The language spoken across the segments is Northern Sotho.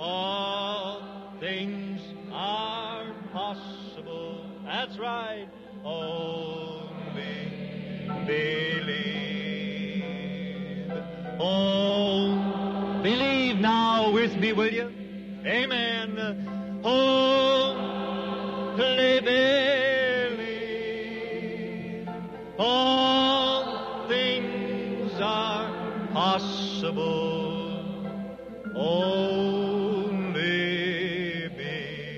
All things are possible. That's right. Only believe. Oh, believe now with me, will you? Amen. Only believe. All things are possible. Only believe.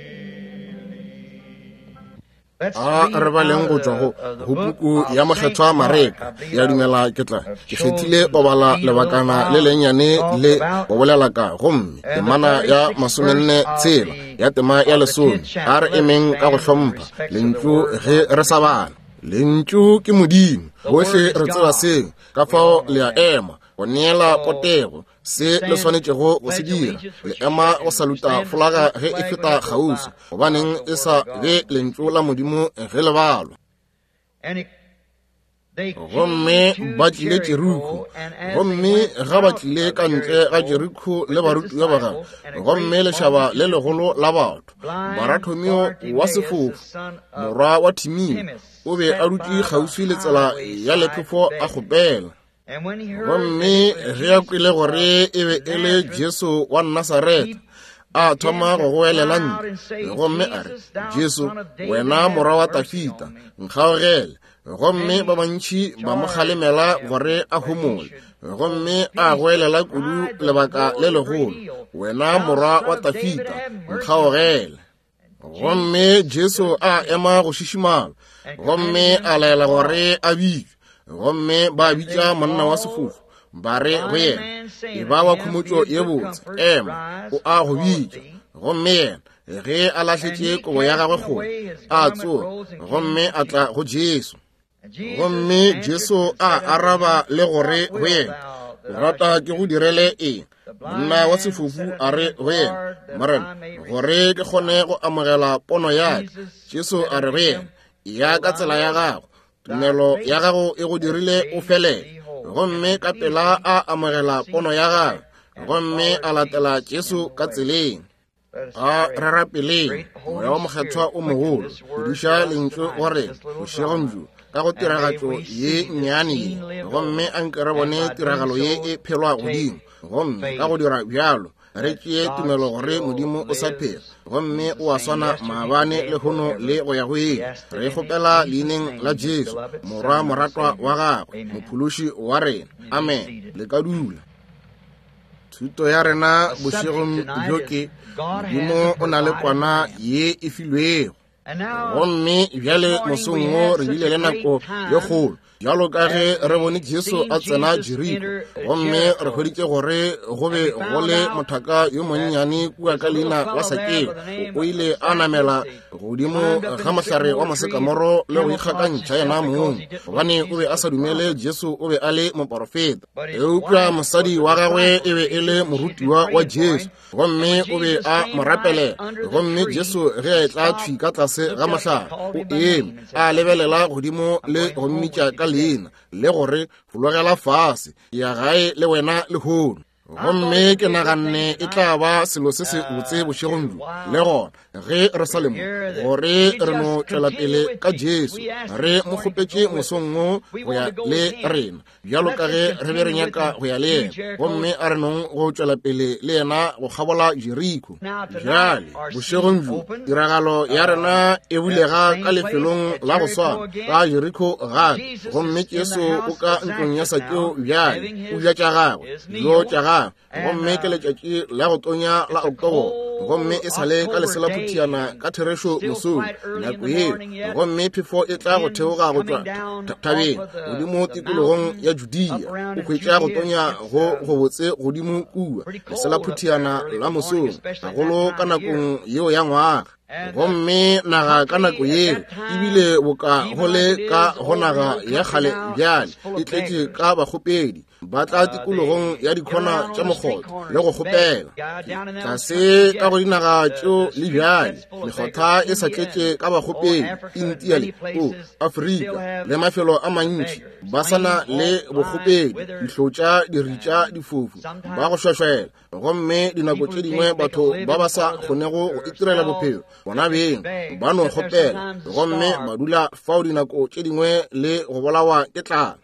A re baleng go tšwa go go puku ya Mokgethwa Mareka. Ke a dumela ke tla ke kgethile go bala lebakana le lennyane le go bolela ka gomme temana ya masomenne tshela ya tema ya lesome. A re emeng ka go hlompha lentšu ge re sa bala. Lentšu ke Modimo, bohle re tseba seo, ka fao le a ema go neela potego se le swanetšego go se dira le ema go saluta folaga ge e feta kgauswi gobaneng e sa be lentšu la modimo ge le balwa gomme ba tlile jeriko gomme ga ba tlile ka ntle ga jeriko le barutiwa ba gagwe gomme lešaba le legolo la batho barathomio wa sefofu morwa wa thimio o be a dutše kgauswi le tsela ya lephefo a kgopela Gomme ge a kwele gore e be e le Jesu wa Nasaretha, a thoma go goelela ntle gomme a re, Jesu, wena morwa wa Tafita, nkgaogele. Gomme ba bantši ba mo kgalemela gore a homole, gomme a goelela kudu lebaka le legolo, Wena morwa wa Tafita, nkgaogele. Gomme Jesu a ema go šišimala, gomme a laela gore a bitšwe. Gomme ba bitša monna wa sefofu, ba re go yena, E ba wa khomotšo ye botse, ema, o a go bitša. Gomme yena, ge a lahletše kobo ya gagwe kgole, a tsoga, gomme a tla go Jesu. Gomme Jesu a araba le gore go yena, O rata ke go direle eng? Monna wa sefofu a re go yena, Morena, gore ke kgone go amogela pono ya ka. Jesu a re go yena, Ya ka tsela ya gago, tumelo ya gago e go dirile o felele. Gomme ka pela a amogela pono ya gagwe, gomme a latela Jesu ka tseleng. A re rapeleng. Moya wa Mokgethwa o mogolo, duša lentšu go rena bošegong bjo ka go tiragatšo ye nnyane ye, gomme a nke re bone tiragalo ye e phelwa godimo, gomme ka go dira bjalo re tšee tumelo gore Modimo o sa phela gomme o a swana maabane, lehono le go ya go ile. Re kgopela leineng la Jesu, Morwa moratwa wa gagwe, Mophološi wa rena. Amen. Le ka dula. Thuto ya rena bošegong bjo ke Modimo o na le kwana ye e filwego. Gomme bjale mosong wo re bile le nako ye kgolo bjalo ka ge re bone Jesu a tsena Jeriko, gomme re hweditše gore go be go le mothaka yo monnyane kua ka leina la Sakeo. O ile a namela godimo ga mohlare wa mosekamoro le go ikgakantšha yena mong, gobane o be a sa dumele Jesu o be a le moporofeta. Eupša mosadi wa gagwe e be e le morutiwa wa Jesu, gomme o be a mo rapelela. Gomme Jesu ge a etla thwi ka tlase ga mohlare, o eme a lebelela godimo le go mmitša ka leina, le gore, Fologela fase, ke ya gae le wena lehono. Gomme ke naganne e tla ba selo se se botse bošegong bjo, le gona ge re sa le mo, gore re no tšwela pele ka Jesu. Re mo kgopetše mosong wo go ya le rena, bjalo ka ge re be re nyaka go ya le yena, gomme a re nong go tšwela pele le yena go kgabola Jeriko. Bjale bošegong bjo tiragalo ya rena e bulega ka lefelong la go swana ka Jeriko gape, gomme Jesu o ka ntlong ya Sakeo bjale, o ja tša gagwe, dijo tša gagwe, gomme ke letšatši la go tonya la Oktoboro, gomme e sa le ka leselaphuthiana ka therešo mosong nako yeo, gomme phefo e tla go theoga go tšwa thabeng godimo tikologong ya Judea, o hwetša go tonya go gobotse godimo kua leselaphuthiana la mosong, gagolo ka nakong yeo ya ngwaga. Gomme naga ka nako yeo ebile boka go le ka go naga ya kgale bjale e tletše ka bakgopedi. Ba tla tikologong ya dikhona tša mokgotha le go kgopela. Tlase ka go dinaga tšeo le bjale, mekgotha e sa tletše ka bakgopedi, Intia le o Afrika le mafelo a mantši, ba sa na le bokgopedi, dihlotša, diritša, difofu, ba go šwešwela. Gomme dinako tše dingwe batho ba ba sa kgonego go itirela bophelo bona beng ba no kgopela, gomme ba dula fao dinako tše dingwe le go bolawa ke tlala.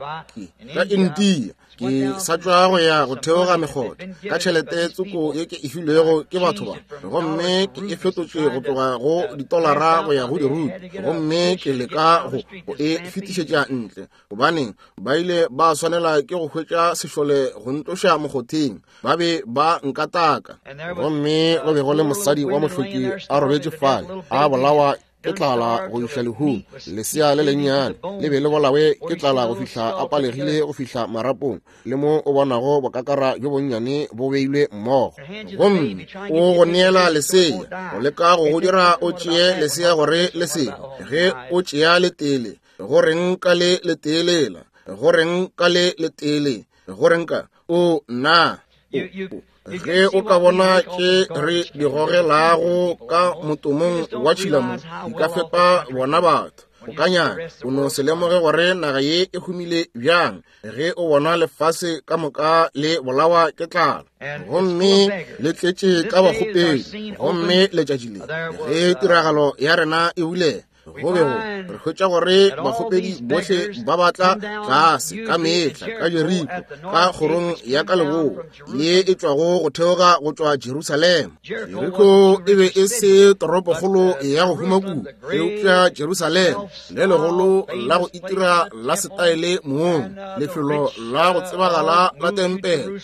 Ka Intia ke sa tšwa go ya go theoga mekgotha ka tšhelete tsoko ye ke e filwego ke batho ba, gomme ke e fetotše go tloga go ditolara go ya go dirupi, gomme ke leka go e fetišetša ntle, gobaneng ba ile ba swanela ke go hwetša sešole go ntloša mokgotheng. Ba be ba nkataka. Gomme go be go le mosadi wa mohloki a robetše fale, a bolawa ke tlala go iša lehung. Lesea le lennyane le be le bolawe ke tlala go fihla a palegile go fihla marapong, le mo o bonago bokakara bjo bonnyane bo beilwe mmogo. Gomme o go neela lesea, go leka go go dira o tšee lesea gore le se ge o tšea letele. Go reng ka le letee lela? Go reng ka le letee le? Go reng ka o nna? Ge o ka bona tše re di gogelago ka motomong wa tšhilamo, di ka fepa bona batho. O ka nyaka o no se lemoge gore naga ye e humile bjang ge o bona lefase ka moka le bolawa ke tlala, gomme le tletše ka bakgopedi. Gomme letšatši le ge tiragalo ya rena e bulega, go be go re hwetša gore bakgopedi bohle ba batla tlase ka mehla ka Jeriko, ka kgorong ya ka leboa ye e tšwago go theoga go tšwa Jerusalema. Jeriko e be e se toropokgolo ya go huma kudu, eupša Jerusalema le legolo la go itira la setaele mong, lefelo la go tsebagala la tempele,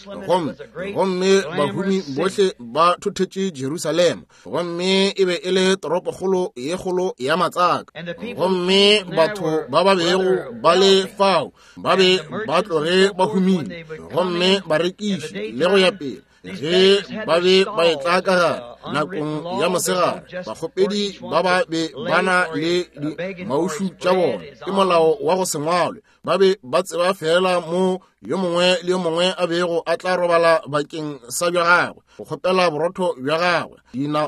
gomme bahumi bohle ba thothetše Jerusalema. Gomme e be e le toropokgolo ye kgolo ya matsaka, gomme batho ba ba bego ba le fao ba be ba tloge ba humile, gomme barekiši le go ya pele. Ge ba be ba etla ka gare nakong ya mosegare, bakgopedi ba ba be ba na le dimaušu tša bona, ke molao wa go se ngwalwe. Ba be ba tseba feela mo yo mongwe le yo mongwe a bego a tla robala bakeng sa bja gagwe, go kgopela borotho bja gagwe,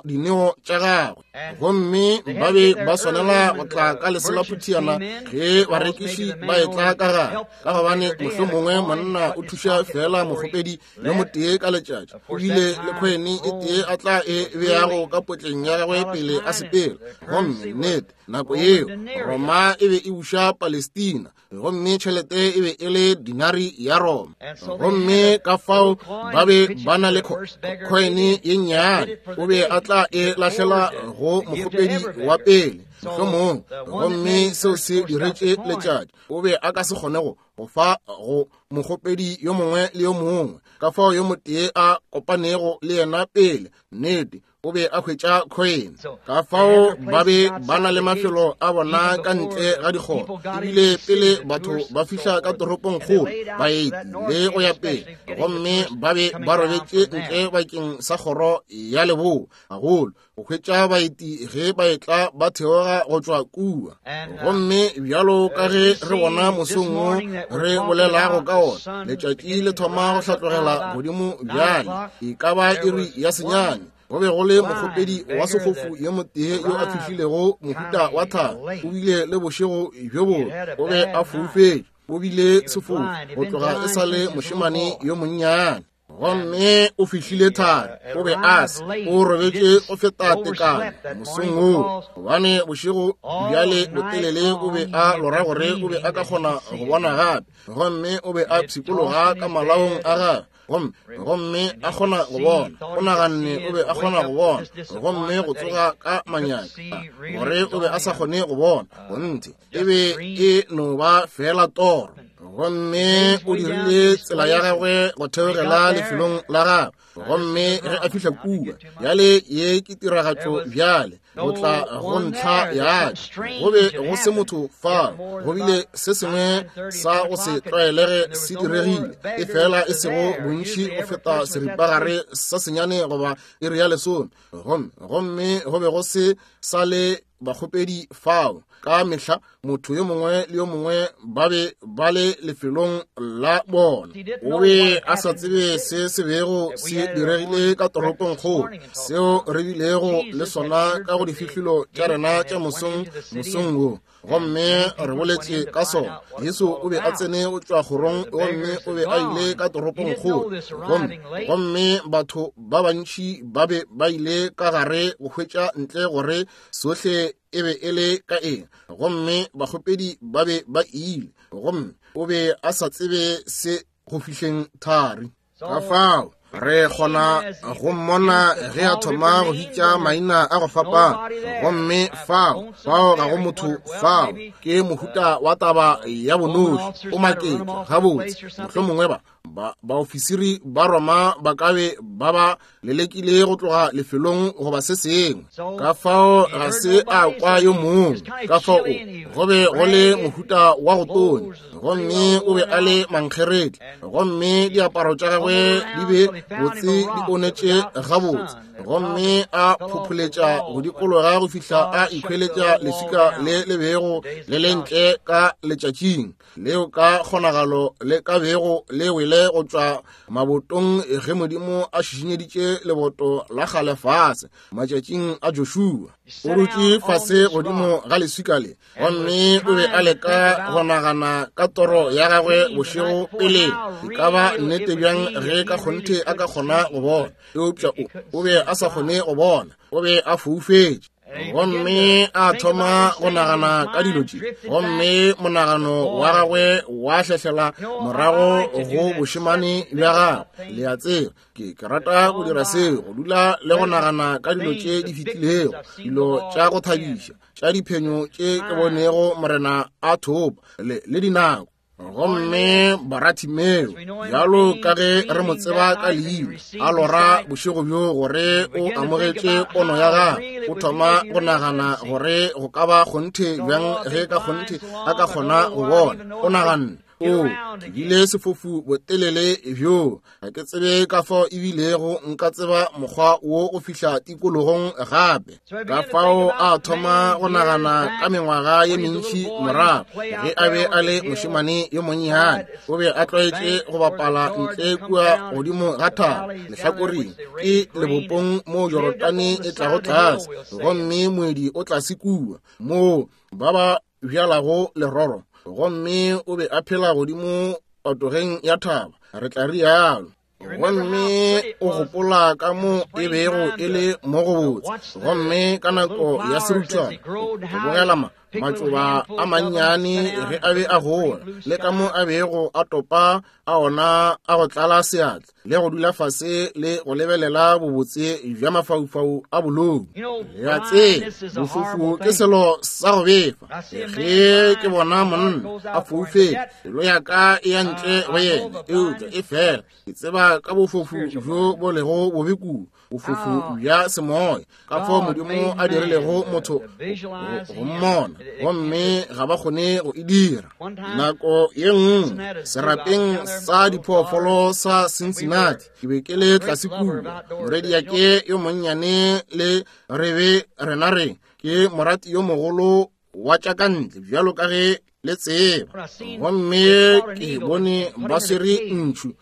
dineo tša gagwe. Gomme ba be ba swanela go tla ka leselaphuthiana ge barekiši ba etla ka gare, ka gobane mohlomongwe monna o thuša feela mokgopedi yo motee ka letšatši. O bile le khoene e tee a tla e beago ka potleng ya gagwe pele a sepela. Gomme nnete, nako yeo Roma e be e buša Palestina, gomme tšhelete e be e le dinari ya Roma. Gomme ka fao ba be ba na le khoene ye nnyane, o be a tla e lahlela go mokgopedi wa pele mohlomong, gomme seo se diretše letšatši. O be a ka se kgone go fa go mokgopedi yo mongwe le yo mongwe, ka fao yo motee a kopanego le yena pele, nnete, o be a hwetša khoene. Ka fao ba be ba na le mafelo a bona ka ntle ga dikgoro, ebile pele batho ba fihla ka toropong kgolo, baeti le go ya pele, gomme ba be ba robetše ntle bakeng sa kgoro ya leboa, gagolo go hwetša baeti ge ba etla ba theoga go tšwa kua. Gomme bjalo ka ge re bona mosong wo re bolelago ka ona, letšatši le thoma go hlatlogela godimo bjale, e ka ba iri ya 9. Go be go le mokgopedi wa sefofu yo motee yo a fihlilego mohuta wa thaba. O bile le bošego bjo bobe, o be a foufetše, o bile sefofu go tloga e sa le mošemane yo monnyane. Gomme o fihlile thari, o be a se, o robetše go feta tekano mosong woo, gobane bošego bjale botelele o be a lora gore o be a ka kgona go bona gape. Gomme o be a pshikologa ka malaong a gagwe, gomme a kgona go bona. O naganne o be a kgona go bona, gomme go tsoga ka manyami gore o be a sa kgone go bona. Gonthe e be e no ba feela toro. Gomme o dirile tsela ya gagwe go theogela lefelong la gagwe. Gomme ge a fihla kua, bjale ye ke tiragatšo bjale, go tla go ntlha ya ka. Go be go se motho fao, go bile se sengwe sa go se tlwaelege se diregile, e fela e sego bontši go feta seripagare sa senyane goba iri ya 10. Gomme go be go se sa le bakgopedi fao. Ka mehla motho yo mongwe le yo mongwe ba be ba le lefelong la bona. O be a sa tsebe se se bego se diregile ka toropong kgolo, seo re bilego le sona ka go difihlolo tša rena tša mosong mosong wo, gomme re boletše ka sona. Jesu o be a tsene go tšwa kgorong, gomme o be a ile ka toropong kgolo, gomme batho ba bantši ba be ba ile ka gare go hwetša ntle gore sohle e be e le ka eng, gomme bakgopedi ba be ba ile, gomme o be a sa tsebe se go fihleng thari. Ka fao re kgona go mmona ge a thoma go bitša maina a go fapana, gomme fao fao ga go motho fao. Ke mohuta wa taba ya bonoši. O maketše gabotse, mohlomongwe ba baofisiri ba Roma ba ka be ba ba lelekile go tloga lefelong goba se sengwe. Ka fao ga se a kwa yo mongwe. Ka fao go be go le mohuta wa go tonya, gomme o be a le mankgeretla, gomme diaparo tša gagwe di be botse di onetše gabotse, gomme a phopholetša go dikologa go fihla a ikhweletša leswika le le bego le le ntle ka letšatšing leo ka kgonagalo le ka bego le wele go tšwa mabotong ge Modimo a šišinyeditše leboto la kgale fase matšatšing a Joshua. O dutše fase godimo ga leswika le, gomme o be a leka go nagana ka toro ya gagwe bošego pele. E ka ba nnete bjang ge ka kgonthe a ka kgona go bona? Eupša o be a sa kgone go bona, o be a foufetše. Gomme a thoma go nagana ka dilo tše, gomme monagano wa gagwe wa hlehlela morago go bošemane bja gagwe. Le a tseba, ke rata go dira seo, go dula le go nagana ka dilo tše di fetilego, dilo tša go thabiša, tša diphenyo tše ke bonego Morena a thopa, le dinako. Gomme Baratimeo, bjalo ka ge re mo tseba ka leina, a lora bošego bjo gore o amogetše pono ya gagwe. O thoma go nagana gore go ka ba kgonthe bjang ge ka kgonthe a ka kgona go bona. O naganne, o, ke bile sefofu botelele bjo, ga ke tsebe ka fao ebilego nka tseba mokgwa wo go fihla tikologong gape. Ka fao a thoma go nagana ka mengwaga ye mentši morago ge a be a le mošemane yo monnyane. O be a tlwaetše go bapala ntle kua godimo ga thaba lehlakoreng ke lebopong moo Jorodane e tlago tlase, gomme moedi o tlase kua moo ba ba bjalago leroro, gomme o be a phela godimo patogeng ya thaba, re tla rialo. Gomme o gopola ka mo e bego e le mo go botse, gomme ka nako ya seruthwana go bogela matšoba a mannyane ge a be a gola, le ka mo a bego a topa a ona a go tlala seatla, le go dula fase le go lebelela bobotse bja mafaufau a bolou. Le a tseba, bofofu ke selo sa go befa. Ge ke bona monna a foufetše, pelo ya ka e ya ntle go yena, eupša e fela ke tseba ka bofofu bjo bo lego bobe kudu, bofofu bja semoya, ka fao Modimo a dirilego motho go mmona, gomme ga ba kgone go e dira. Nako ye nngwe serapeng sa diphoofolo sa Cincinnati, ke be ke le tlase kua, morwediake yo monnyane le re be rena re ke morati yo mogolo wa tša ka ntle bjalo ka ge le tseba, gomme ke bone ba swere ntšhu,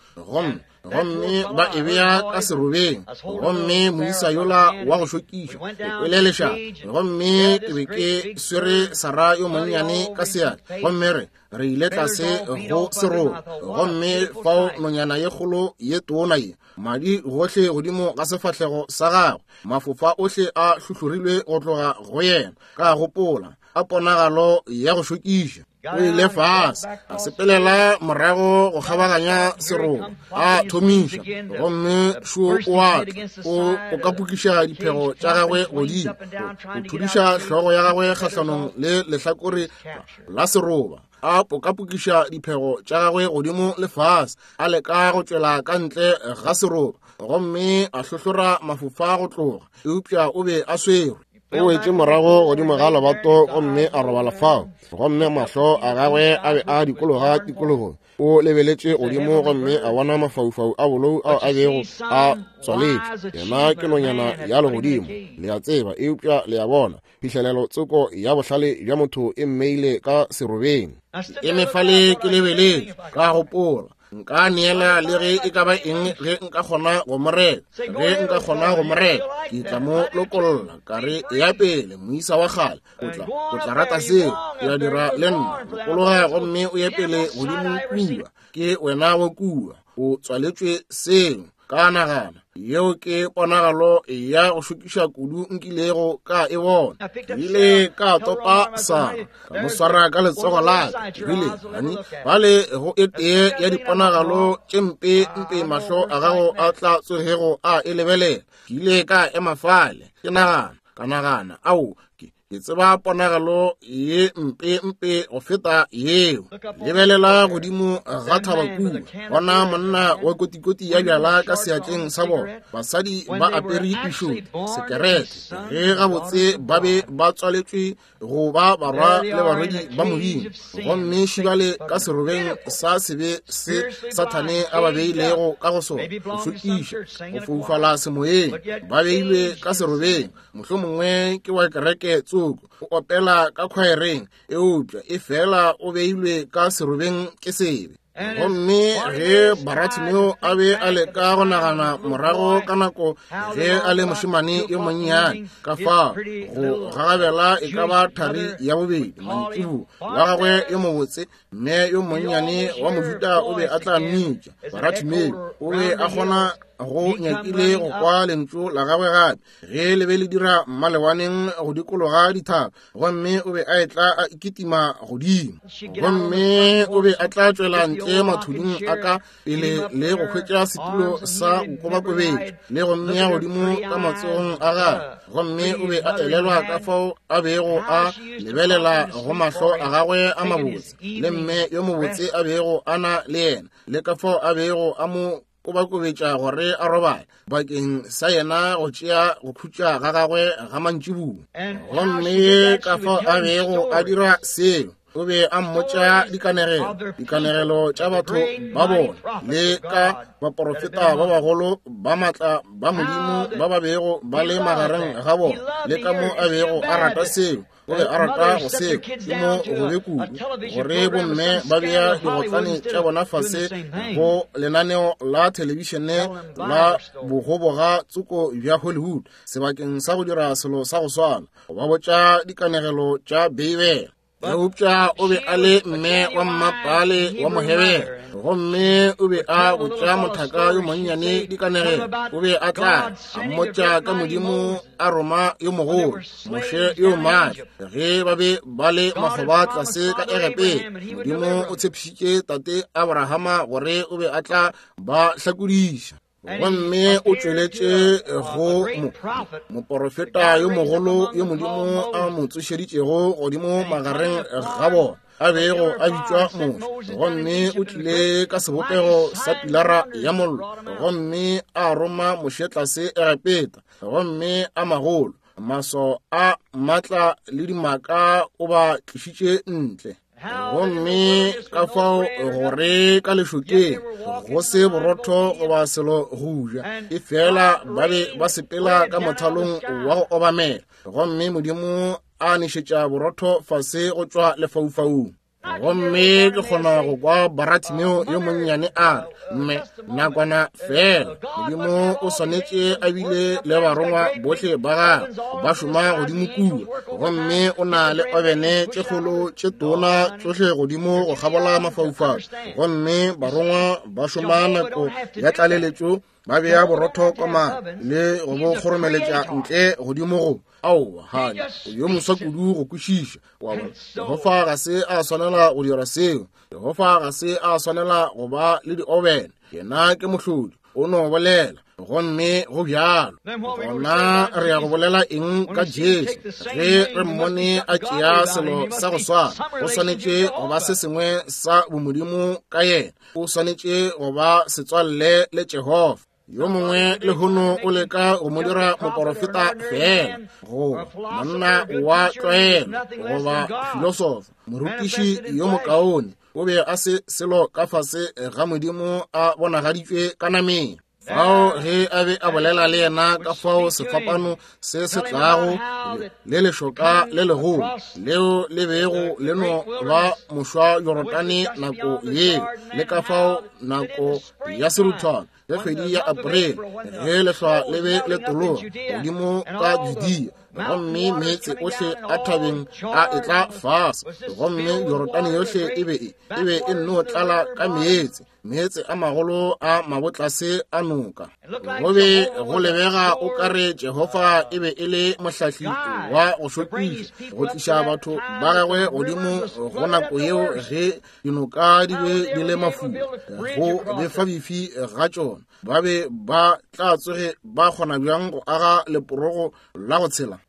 gomme ba e bea ka serobeng, gomme moisa yola wa go šokiša ke kwele lešata, gomme ke be ke swere Sara yo monnyane ka seatla, gomme re ile tlase go seroba, gomme fao nonyana ye kgolo ye tona ye, madi gohle godimo ga sefahlego sa gagwe, mafofa ohle a hlohlorilwe go tloga go yena. Ka gopola ka ponagalo ya go šokiša. O ile fase, a sepelela morago go kgabaganya seroba, a thomiša, gomme šo o a tla, o kapokiša diphego tša gagwe godimo, o thudiša hlogo ya gagwe kgahlanong le lehlakore la seroba, a pokapokiša diphego tša gagwe godimo le fase, a leka go tšwela ka ntle ga seroba, gomme a hlohlora mafofa go tloga, eupša o be a swerwe. O wetše morago godimo ga lebato gomme a robala fao, gomme mahlo a gagwe a be a dikologa tikologong. O lebeletše godimo gomme a bona mafaufau a bolou ao a bego a tswaletše. Yena ke nonyana ya legodimo, le a tseba, eupša le a bona, phihlelelo tsoko ya bohlale bja motho e mmeile ka serobeng. Ke eme fale ke lebeletše, ka gopola, nka neela le ge e ka ba eng ge nka kgona go mo reka. Ge nka kgona go mo reka, ke tla mo lokolla. Ka re, eya pele, moisa wa kgale, o tla rata seo. Ke a dira le nna. Lokologa gomme o ye pele godimo kua. Ke wena wa kua. O tswaletšwe seo. Ka nagana, yeo ke ponagalo ya go šokiša kudu nkilego ka e bona. Ke ile ka topa Sara, ka mo swara ka letsogo la ka. Ke rile, Honey, bale go e tee ya diponagalo tše mpe mpe mahlo a gago a tla tsogego a e lebelela. Ke ile ka ema fale, ke nagana, ka nagana, ao, ke tseba ponagalo ye mpe mpe go feta yeo. Lebelela godimo ga thaba kua, bona monna wa kotikoti ya bjala ka seatleng sa bona, basadi ba apere dišoto, sekerete, ge gabotse ba be ba tswaletšwe go ba barwa le barwedi ba Modimo, gomme šibale ka serobeng sa sebe se Sathane a ba beilego ka go sona, go šokiša, go foufala semoyeng, ba beilwe ka serobeng. Mohlomongwe ke wa kereke tsoko, o opela ka khwaereng, eupša e fela o beilwe ka serobeng ke sebe. Gomme ge Baratimeo a be a leka go nagana morago ka nako ge a le mošemane yo monnyane, ka fao go gagabela e ka ba thari ya bobedi mantšiboa wa gagwe yo mobotse, mme yo monnyane wa Mojuda o be a tla mmitša Baratimeo. O be a kgona go nyakile go kwa lentšu la gagwe gape ge le be le dira mmalewaneng go dikologa dithaba, gomme o be a etla a kitima godimo, gomme o be a tla tšwela ntle mathuding a ka pele le go hwetša setulo sa go kobakobetša le go mmea godimo ka matsogong a gagwe, gomme o be a elelwa ka fao a bego a lebelela go mahlo a gagwe a mabotse le mme yo mobotse a bego a na le yena, le ka fao a bego a mo kobakobetša gore a robale bakeng sa yena go tšea go khutša ga gagwe ga mantšiboa. Gomme ka fao a bego a dira seo, o be a mmotša dikanegelo, dikanegelo tša batho ba bona le ka baporofeta ba bagolo ba matla ba Modimo ba ba bego ba le magareng ga bona, le ka mo a bego a rata seo. O be a rata go seo, ke mo gobe kudu gore bomme ba bea digotlane tša bona fase go lenaneo la thelebišene la bogoboga tsoko bja Hollywood sebakeng sa go dira selo sa go swana, go ba botša dikanegelo tša Beibele. Eupša o be a le mme wa mmapale wa Mohebere, gomme o be a botša mothaka yo monnyane dikanegelo. O be a tla a mmotša ka Modimo a roma yo mogolo, Moshe yo maatla, ge ba be ba le makgoba tlase ka Egepeta. Modimo o tshepišitše tate Abrahama gore o be a tla ba hlakodiša, gomme o tšweletše go moporofeta yo mogolo yo Modimo a mo tsošeditšego godimo magareng ga bona, a bego a bitšwa Moshe, gomme o tlile ka sebopego sa pilara ya mollo, gomme a roma Moshe tlase Egepeta, gomme a magolo maso a matla le dimaka o ba tlišitše ntle. Gomme ka fao gore ka lešokeng go se borotho goba selo go ja, e fela ba be ba sepela ka mothalong wa go obamela, gomme Modimo a nešetša borotho fase go tšwa lefaufaung. Gomme ke kgona go kwa Baratimeo yo monnyane a re, Mme, nakwana fela, Modimo o swanetše a bile le barongwa bohle ba gagwe ba šoma godimo kua, gomme o na le obene tše kgolo tše tona tšohle godimo go kgabola mafaufau, gomme barongwa ba šoma nako ya tlaleletšo, ba bea borotho koma le go bo kgoromeletša ntle godimo go aowa. Hani, o yo moswa kudu go kwešiša. Wa bona, Jehofa ga se a swanela go dira seo. Jehofa ga se a swanela go ba le diobene. Yena ke mohlodi, o no bolela, gomme go bjalo. Gona re ya go bolela eng ka Jesu ge re mmone a tšea selo sa go swana? Go swanetše go ba se sengwe sa bomodimo ka yena. O swanetše go ba setswalle le Jehofa. Yo mongwe lehono o leka go mo dira moporofeta feela, goba monna wa tlwaelo, goba filosofa, morutiši yo mokaone. O be a se selo ka fase ga Modimo a bonagaditšwe ka nameng. Fao ge a be a bolela le yena ka fao sefapano se se tlago le lešoka le legolo leo le bego le no ba mošwa Jorodane nako yeo, le ka fao nako ya seruthwana ge kgwedi ya April ge lehlwa le be le tologa godimo ka Judea, gomme meetse ohle a thabeng a etla fase, gomme Jorodane yohle e be e nno tlala ka meetse, meetse a magolo a mabotlase a noka. Go be go lebega o ka re Jehofa e be e le mohlahli wa go šokiša, go tliša batho ba gagwe godimo go nako yeo ge dinoka di be di le mafula, go befa bifi ga tšona. Ba be ba tla tsoge ba kgona bjang go aga leporogo la go tshela?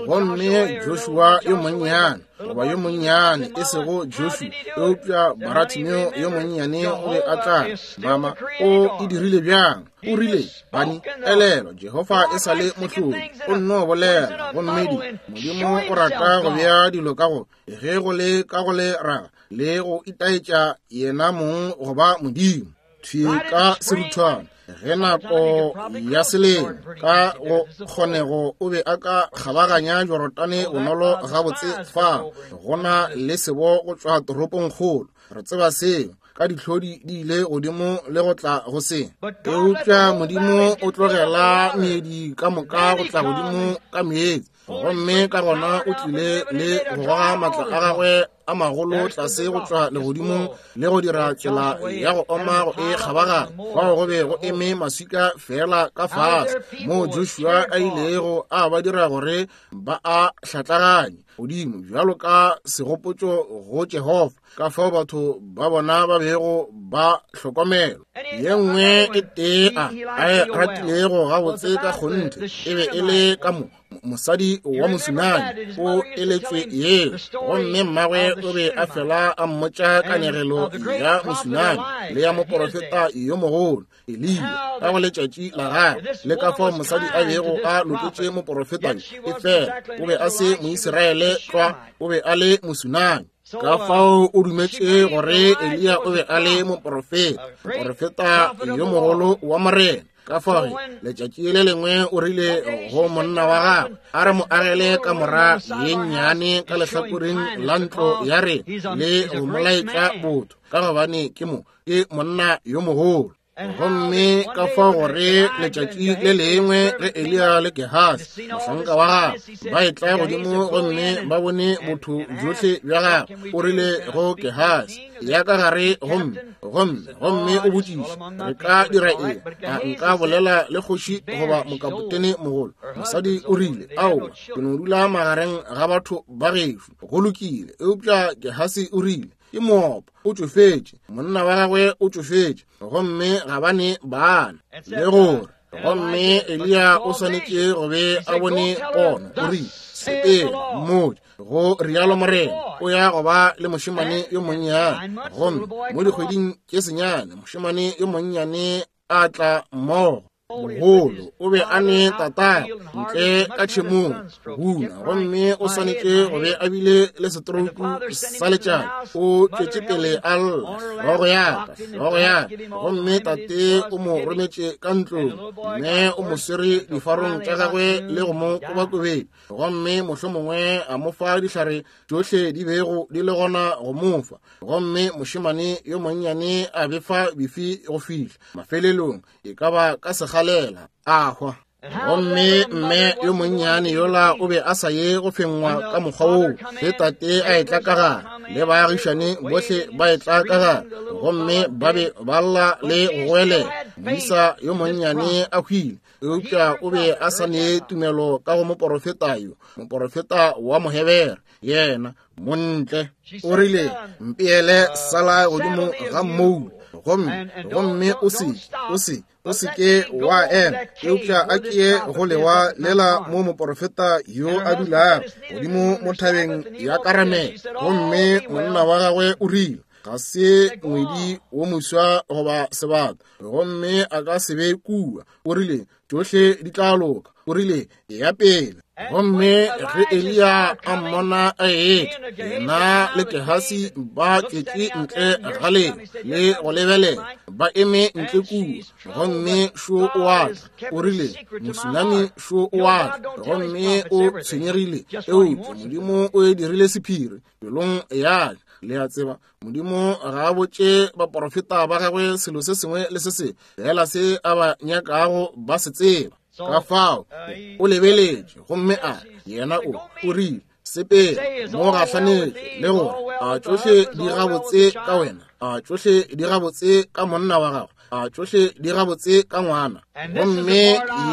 Gomme Joshua yo monnyane, goba yo monnyane, e sego Joshua, eupša Baratimeo yo monnyane o be a tla mama. O e dirile bjang? O rile, bani, elelwa, Jehofa e sa le mohlodi, o nno bolela. Gomme di, Modimo o rata go bea dilo ka go, ge go le ka go le raga, le go itaetša yena mong go ba Modimo. Thwi ka seruthwana, ge nako ya selemo ka go kgonego o be a ka kgabaganya Jorodane bonolo gabotse fa go na le sebo go tšwa toropongkgolo. Re tseba seo, ka dihlodi di ile godimo le go tla go se. Eupša Modimo o tlogela meedi ka moka go tla godimo ka meetse, gomme ka gona o tlile le go goga maatla a gagwe a magolo tlase go tšwa legodimong le go dira tsela ya go oma go e kgabaganya. Fao go be go eme maswika fela ka fase, moo Joshua a ilego a ba dira gore ba a hlatlaganye godimo bjalo ka segopotšo go Jehofa, ka fao batho ba bona ba bego ba hlokomelwa. Ye nngwe e tee a e ratilego gabotse ka kgonthe e be e le ka mo mosadi wa Mosunami o eletšwe yeo, gomme mmagwe o be a fela a mmotša kanegelo ya Mosunami le ya moporofeta yo mogolo Eliya ka go letšatši la gagwe, le ka fao mosadi a bego a loketše moporofeta yo. E fela o be a se Moisraele tlwa, o be a le Mosunami. Ka fao o dumetše gore Eliya o be a le moporofeta, moporofeta yo mogolo wa Morena. Ka fao letšatši le lengwe o rile go monna wa gagwe, a re mo agele kamora ye nnyane ka lehlakoreng la ntlo ya rena le go mo laetša botho, ka gobane ke mo ke monna yo mogolo. Gomme ka fao gore letšatši le lengwe ge Eliya le Gehasi mohlanka wa gagwe ba etla godimo gomme ba bone botho bjohle bja gagwe, o rile go Gehasi, ya ka gare gomme gomme gomme o botšiše, re ka dira eng? A nka bolela le kgoši goba mokapotene mogolo? Mosadi o rile, aowa, ke no dula magareng ga batho ba gešo. Go lokile. Eupša Gehasi o rile, ke moopa, o tšofetše, monna wa gagwe o tšofetše, gomme ga ba ne bana. Le gore gomme Eliya o swanetše go be a bone pono, o rile, sepela, mmotše, go rialo Morena, o ya go ba le mošemane yo monnyane. Gomme mo dikgweding tše senyane mošemane yo monnyane a tla mmogo. Mogolo o be a ne tatagwe ntle ka tšhemong guna, gomme o swanetše go be a bile le setrouku sa letšatši. O tšwetše pele a lla, hlogo ya ka, hlogo ya ka. Gomme tate o mo rometše ka ntlong, mme o mo swere difarong tša gagwe le go mo kobakobetša, gomme mohlomongwe a mo fa dihlare tšohle di bego di le gona go mo fa. Gomme mošemane yo monnyane a befa bifi go fihla mafelelong e ka ba ka segalela a hwa. Gomme mme yo monnyane yola o be a sa ye go fengwa ka mokgwa woo ge tate a etla ka gare, le baagišane bohle ba etla ka gare, gomme ba be ba lla le go goelela. Moisa yo monnyane a hwile, eupša o be a sa ne tumelo ka go moporofeta yo, moporofeta wa Mohebere, yena montle. O rile, mpeele sala godimo ga mmoula, gomme, gomme o se, o se, o se ke wa ema, eupša a ke ye go lewa lela mo moporofeta yo a dulago godimo mo thabeng ya Karamele. Gomme monna wa gagwe o rile, ga se ngwedi wo moswa goba sebata, gomme a ka se be kua. O rile, tšohle di tla loka. O rile, Eya pele. Gomme ge Eliya a mmona a etla, yena le Gehasi ba tšwetše ntle ga leo le go lebelela, ba eme ntle kua, gomme šo o a tla. O rile, Mosunami šo o a tla, gomme o tshwenyegile, eupša Modimo o e dirile sephiri pelong ya ka. Le a tseba, Modimo ga a botše baporofeta ba gagwe selo se sengwe le se sengwe, fela se a ba nyakago ba se tseba. Ka fao o lebeletše gomme a yena o o rile, Sepela mo gahlanetše le gore a tšohle di gabotse ka wena, a tšohle di gabotse ka monna wa gago, a tšohle di gabotse ka ngwana. Gomme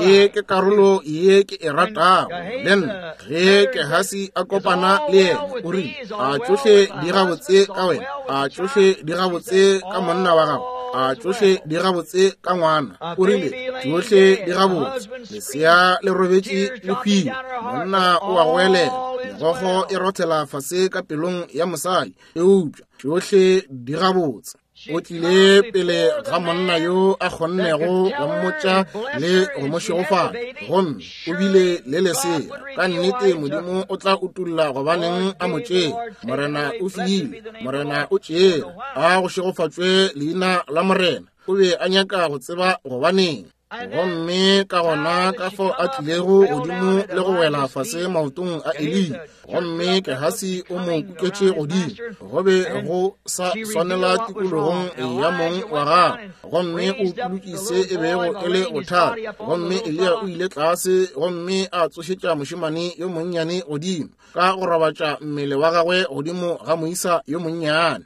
ye ke karolo ye ke e ratago le nna. Ge Gehasi a kopana le yena, o rile, a tšohle di gabotse ka wena, a tšohle di gabotse ka monna wa gago, a tšohle di gabotse ka ngwana. O rile, tšohle di gabotse, lesea le robetše le hwile, monna o a goelela, megokgo e rothela fase ka pelong ya mosadi, eupša tšohle di gabotse. O tlile pele ga monna yo a kgonnego go mmotša le go mo šegofatša, gomme o bile le lesea. Ka nnete Modimo o tla utolla gobaneng a mo tšere. Morena o file, Morena o tšere, a go šegofatšwe leina la Morena. O be a nyaka go tseba gobaneng. Gomme ka gona ka fao a tlilego godimo le go wela fase maotong a Eliya, gomme Gehasi o mo kuketše godimo, go be go sa swanela tikologong ya mong wa gagwe, gomme o utolotše se e bego e le bothata. Gomme Eliya o ile tlase gomme a tsošetša mošemane yo monnyane godimo, ka go robatša mmele wa gagwe godimo ga moisa yo monnyane.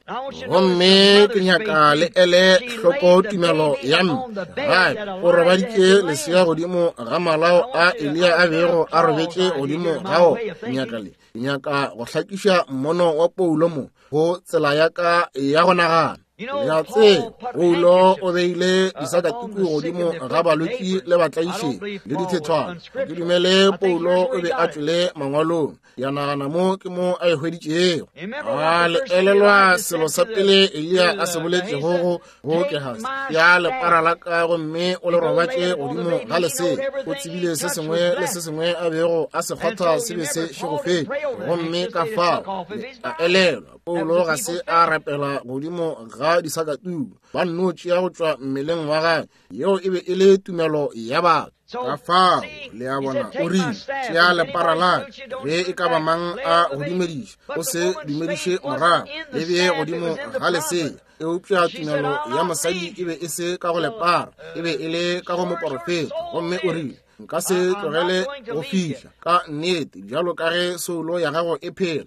Gomme ke nyaka le ele hloko tumelo ya mme. Gape o robaditše lesea godimo ga malao a Eliya a bego a robetše godimo ga o. Nyaka le nyaka go hlakiša mmono wa Paulo mo go tsela ya ka ya go nagana. Le a tseba, Paulo o beile disakatuku godimo ga balwetši le batlaišegi le dithethwana. Ga ke dumele Paulo o be a tšwele mangwalong. Ya nagana mo ke mo a e hweditšego. A le elelwa selo sa pele Eliya a se boletšego go go Gehasi, ya lepara la ka gomme o le robatše godimo ga lesea. O tsebile se sengwe le se sengwe a bego a se kgotha se be se šegofetše. Gomme ka fao a elelwa Paulo ga se a rapela godimo ga disakatuku, ba nno tšea go tšwa mmeleng wa gagwe. Yeo e be e le tumelo ya batho. Ka fao, le a bona, o rile, tšea lepara la ka, ge e ka ba mang a go dumediša, o se dumediše morago, le bee godimo ga lesea. Eupša tumelo ya mosadi e be e se ka go lepara, e be e le ka go moporofeta. Gomme o rile, nka se tlogele go fihla ka nnete bjalo ka ge soulo ya gago e phela,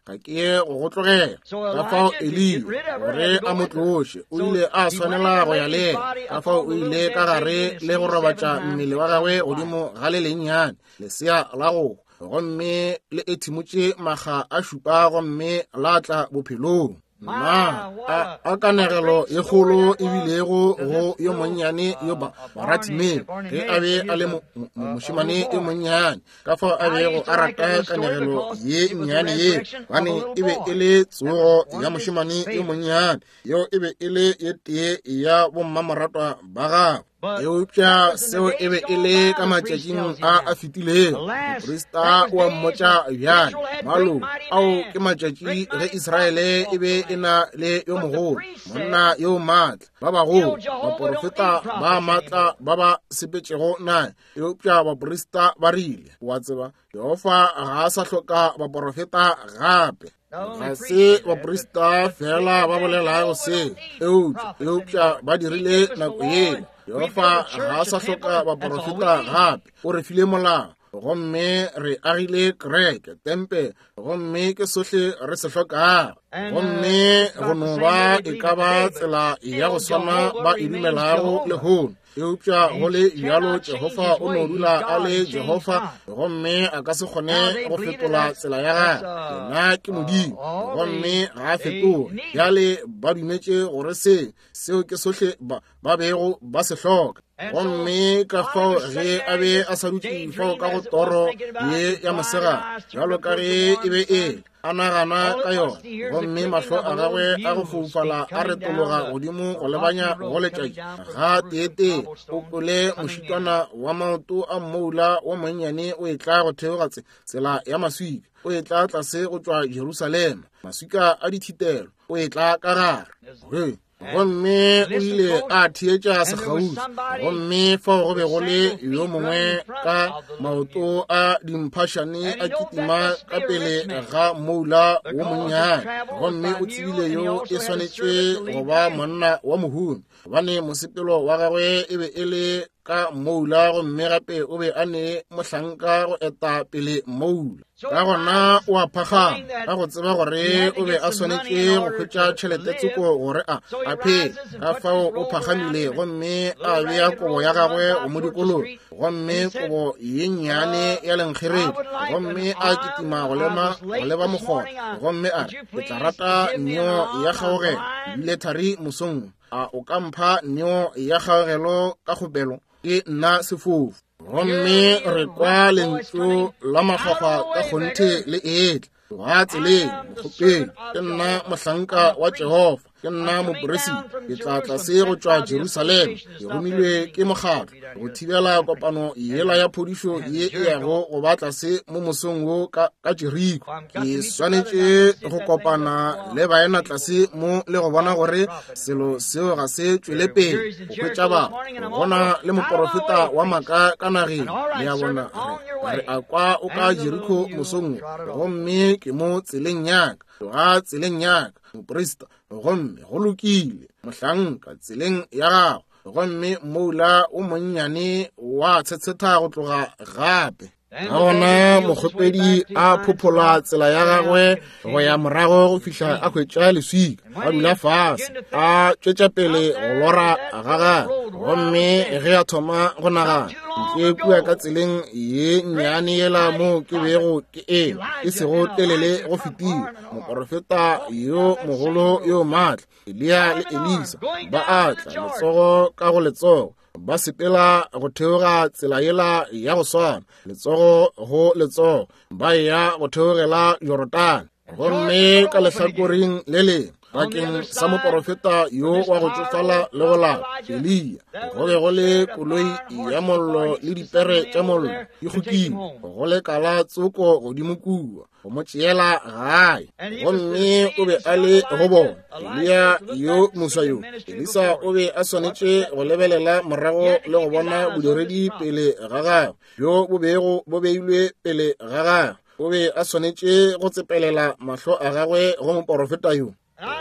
ga ke ye go go tlogela. Ka fao Eliya, gore a mo tloše, o ile a swanela go ya le yena. Ka fao o ile ka gare le go robatša mmele wa gagwe godimo ga le lennyane lesea la go hwa, gomme le ethimotše makga a šupa gomme la tla bophelong. Na a kanegelo ye kgolo e bilego go yo monnyane yo Baratimeo ge a be a le mošemane yo monnyane, ka fao a bego a rata kanegelo ye nnyane ye, gobane e be e le tsogo ya mošemane yo monnyane, yeo e be e le ye tee ya bommamoratwa ba gagwe. Eupša seo e be e le ka matšatšing a a fetilego. Moprista o a mmotša bjale, malo ao ke matšatši ge Israele e be e na le yo mogolo, monna yo maatla, ba bagolo, baporofeta ba maatla ba ba sepetšego naye. Eupša baprista ba rile, wa tseba, Jehofa ga a sa hloka baporofeta gape. Ga se baprista fela ba bolelago se, eupša ba dirile nako yeo. Jehofa ga a sa hloka baporofeta gape. O re file molao, gomme re agile kereke, tempe, gomme ke sohle re se hlokago. Gomme go no ba e ka ba tsela ya go swana ba e dumelago lehono. Eupša go le bjalo Jehofa o no dula a le Jehofa, gomme a ka se kgone go fetola tsela ya gagwe. Yena ke Modimo, gomme ga a fetoge. Bjale ba dumetše gore se, seo ke sohle ba, ba bego ba se hloka. Gomme ka fao ge a be a sa dutše fao ka go toro ye ya mosegare, bjalo ka ge e be e le, a nagana ka yona, gomme mahlo a gagwe a go foufala a retologa godimo go lebanya go letšatši. Ga teetee o kwele mošitwana wa maoto a mmoula wo monnyane o etla go theoga tsela ya maswika, o etla tlase go tšwa Jerusalema, maswika a dithitelo, o etla ka gare. Gomme o ile a theetša sekgauswi, gomme fao go be go le yo mongwe ka maoto a dimphašane a kitima ka pele ga moula wo monnyane, gomme o tsebile yo e swanetše go ba monna wa mohumi, gobane mosepelo wa gagwe e be e le ka moula, gomme gape o be a ne mohlanka go eta pele moula. Ka gona o a phagama ka go tseba gore o be a swanetše go hwetša tšhelete tsoko gore a a phele. Ka fao o phagamile gomme a bea kobo ya gagwe go mo dikologa, gomme kobo ye nnyane ya lenkgeredi, gomme a kitima go leba mokgotha, gomme a re, ke tla rata neo ya kgaogelo ebile thari mosong. A o ka mpha neo ya kgaogelo ka kgopelo? Ke nna sefofu. Gomme re kwa lentšu la makgwakgwa ka kgonthe le etla. Tloga tseleng, mokgopedi. Ke nna mohlanka wa Jehofa, ke nna moperisita. Ke tla tlase go tšwa Jerusalema, ke romilwe ke mokgatlo go thibela kopano yela ya phodišo ye e yago go ba tlase mo mosong wo ka Jeriko. Ke swanetše go kopana le baena tlase mo le go bona gore selo seo ga se tšwele pele go hwetša batho. Gona le moporofeta wa maaka ka nageng, le a bona, re a kwa o ka Jeriko mosong wo, gomme ke mo tseleng yaka, tloga tseleng yaka, moprista, gomme go lokile, mohlanka, tseleng ya gago. Gomme moula o monnyane wa tshetsheta go tloga gape. Ka gona mokgopedi a phophola tsela ya gagwe go ya morago go fihla a hwetša leswika, a dula fase, a tšwetša pele go lora ga gagwe. Gomme ge a thoma go nagana, ntle kua ka tseleng ye nnyane yela mo ke bego ke eme, e sego telele go fetile, moporofeta yo mogolo yo maatla Eliya le Elisa ba a tla letsogo ka go letsogo, ba sepela go theoga tsela yela ya go swana, letsogo go letsogo, ba eya go theogela Jorodane. Gomme ka lehlakoreng le lengwe, bakeng sa moporofeta yo wa go tšofala le go lapa, Eliya, go be go le koloi ya mollo le dipere tša mollo di kgokile go lekala tsoko godimo kua go mo tšeela gae. Gomme o be a le go bona Eliya yo moswa yo. Elisa o be a swanetše go lebelela morago le go bona bodiredi pele ga gagwe bjo bo bego bo beilwe pele ga gagwe. O be a swanetše go tsepelela mahlo a gagwe go moporofeta yo.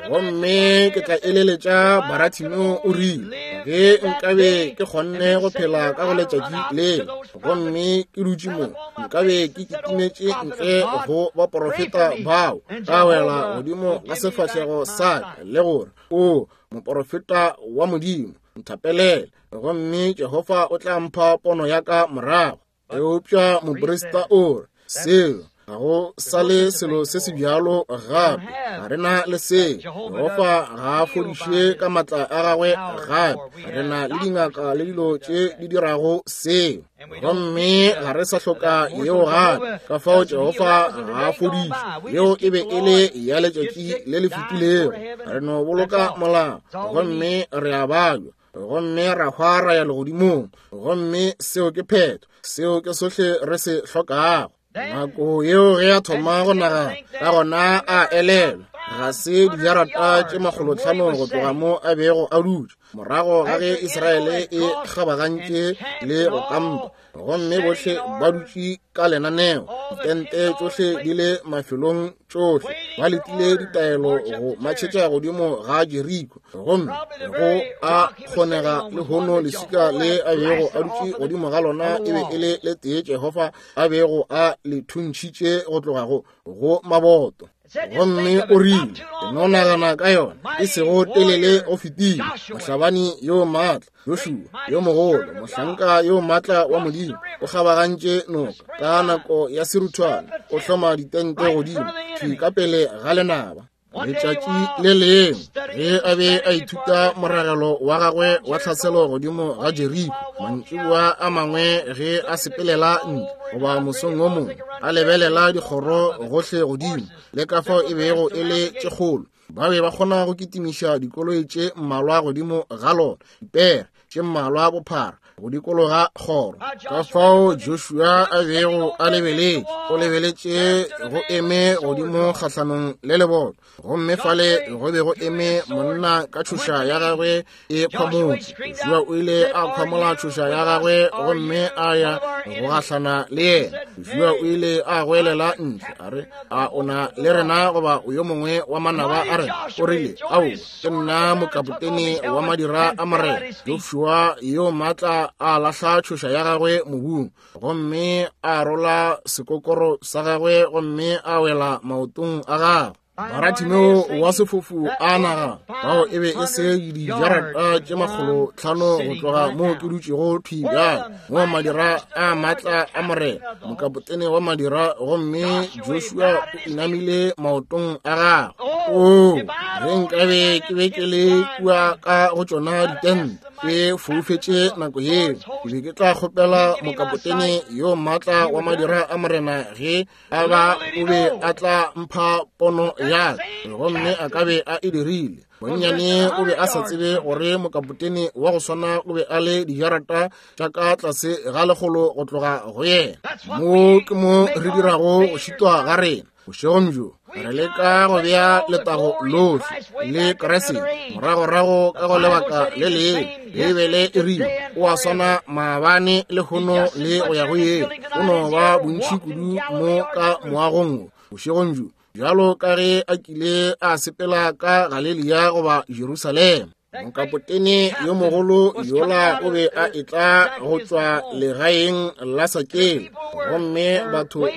Gomme ke tla eleletša Baratimeo o rile, ge nkabe ke kgonne go phela ka go letšatši lela, gomme ke dutše mo, nkabe ke kitimetše ntle go baporofeta bao, ka wela godimo ga sefahlego sa ka le gore, O moporofeta wa Modimo, nthapelele, gomme Jehofa o tla mpha pono ya ka morago. Eupša moprista o re, seo ga go sa le selo se se bjalo gape, ga re na le seo. Jehofa ga a fodiše ka matla a gagwe gape, re na le dingaka le dilo tše di dirago seo, gomme ga re sa hloka yeo gape. Ka fao Jehofa ga a fodiše, yeo e be e le ya letšatši le le fetilego. Re no boloka molao gomme re a babja, gomme ra hwa ra ya legodimong, gomme seo ke phetho, seo ke sohle re se hlokago. Nako yeo ge a thoma go nagana, ka gona a elelwa, ga se dijarata tše 500 go tloga mo a bego a dutše, morago ga ge Israele e kgabagantše le go kampa, gomme bohle ba dutše ka lenaneo, ditente tšohle di le mafelong tšohle, ba letile ditaelo go matšhetša godimo ga Jeriko. Gomme go a kgonega lehono leswika le a bego a dutše godimo ga lona e be e le le tee Jehofa a bego a le thuntšhitše go tloga go maboto. Gomme o rile, ke no nagana ka yona, e sego telele go fetile, mohlabani yo maatla Joshua yo mogolo, mohlanka yo maatla wa Modimo, o kgabagantše noka ka nako ya seruthwana, o hloma ditente godimo thwi ka pele ga lenaba. Letšatši le lengwe ge a be a ithuta moragelo wa gagwe wa tlhaselo godimo ga Jeriko, mantšiboa a mangwe ge a sepelela ntle goba mosong wo mongwe, a lebelela dikgoro gohle godimo le ka fao e bego e le tše kgolo, ba be ba kgona go kitimiša dikoloi tše mmalwa godimo ga lona, dipere tše mmalwa bophara go dikologa kgoro. Ka fao Joshua a bego a lebeletše, o lebeletše go eme godimo kgahlanong le leboto, gomme fale go be go eme monna ka tšhoša ya gagwe e khwamotše. Joshua o ile a khwamola tšhoša ya gagwe gomme a ya go gahlana le yena. Joshua o ile a goelela ntle a re, A o na le rena goba o yo mongwe wa manaba a rena? O rile, Ao, ke nna mokapotene wa madira a Morena. Joshua yo maatla a lahla tšhoša ya gagwe mobung gomme a rola sekokoro sa gagwe gomme a wela maotong a gagwe. Baratimeo wa sefofu a naga bao e be e se dijarata tše 500 go tloga moo ke dutšego thwi bjale, moo madira a maatla a Morena, mokapotene wa madira, gomme Joshua o inamile maotong a gagwe. Oo, ge nkabe ke be ke le kua ka go tšona ditente ke foufetše nako yeo, ke be ke tla kgopela mokapotene yo maatla wa madira a Morena ge a ba o be a tla mpha pono ya ka, gomme a ka be a e dirile. Bonnyane o be a sa tsebe gore mokapotene wa go swana o be a le dijarata tša ka tlase ga 100 go tloga go yena. Mo ke mo re dirago go šitwa ga rena. Bošegong bjo re leka go bea letago lohle le Kriste moragorago ka go lebaka le lengwe. Beibele e rile o a swana maabane lehono le go ya go yeng. O no ba bontši kudu mo ka moagong wo bošegong bjo bjalo ka ge a kile a sepela ka Galelia goba Jerusalema. Mokapotene yo mogolo yola o be a etla go tšwa legaeng la Sakeo, gomme batho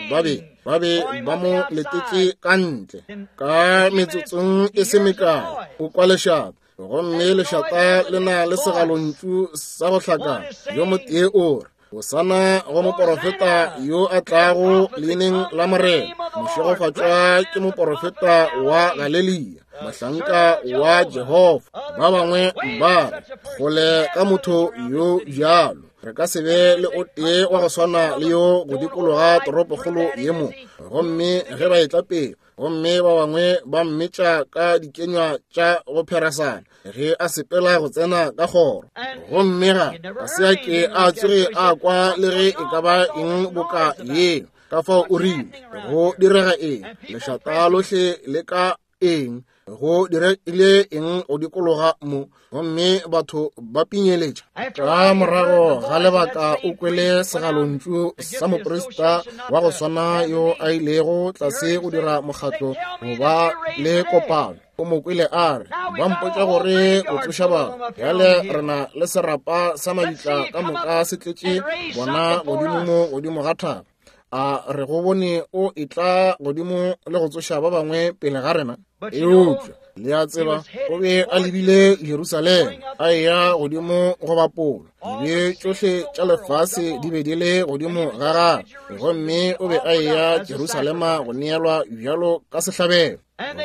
ba be ba mo letetše ka ntle. Ka metsotsong e se mekae o kwa lešata, gomme lešata le na le segalontšu sa go hlakana. Yo motee o re, Hosana go moporofeta yo a tlago leineng la Morena, mošegofatšwa ke moporofeta wa Galelia, mohlanka wa Jehofa. Ba bangwe ba re, Kgole ka motho yo bjalo, re ka se be le o tee wa go swana le yo go dikologa toropokgolo ye mo. Gomme ge ba etla pele, gomme ba bangwe ba mmetša ka dikenywa tša go pherasana ge a sepela go tsena ka kgoro, gomme ga a se a ke a tsoge a kwa le ge e ka ba eng boka yeo. Ka fao o rile, Go direga eng? Lešata lohle le ka eng? Go diregile eng go dikologa mo? Gomme batho ba pinyeletša. Ka morago ga lebaka o kwele segalontšu sa moprista wa go swana yo a ilego tlase go dira mokgatlo go ba le kopano. O mo kwele a re, Ba mpotša gore o tsoša batho. Bjale re na le serapa sa mabitla ka moka se tletše bona godimo mo godimo ga thaba. A re go bone o etla godimo le go tsoša ba bangwe pele ga rena? Eupša le a tseba, o be a lebile Jerusalema, a eya godimo go bapola. Dibe tšohle tša lefase di be di le godimo ga gagwe, gomme o be a eya Jerusalema go neelwa bjalo ka sehlabelo.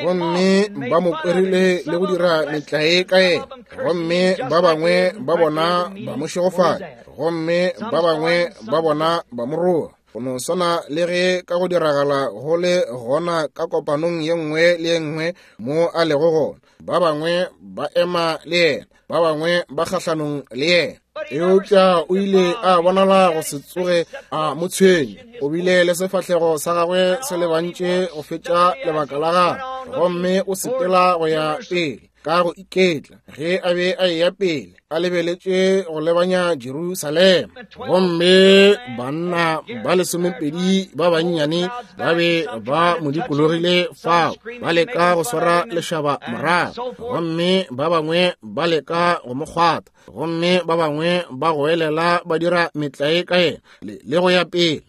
Gomme ba mo kwerile le go dira metlae ka yena, gomme ba bangwe ba bona ba mo šegofatša, gomme ba bangwe ba bona ba mo roga. Go no swana le ge ka go diragala go le gona ka kopanong ye nngwe le ye nngwe mo a lego gona, ba bangwe ba ema le yena, ba bangwe ba kgahlanong le yena. Eupša o ile a bonala go se tsoge a mo tshwenya. O bile le sefahlego sa gagwe se lebantše go fetša lebaka la gagwe, gomme o sepela go ya pele ka go iketla ge a be a eya pele a lebeletše go lebanya Jerusalema. Gomme banna ba 12 ba bannyane ba be ba mo dikologile fao, ba leka go swara lešaba morago, gomme ba bangwe ba leka go mo kgwatha, gomme ba bangwe ba goelela ba dira metlae ka yena le go ya pele.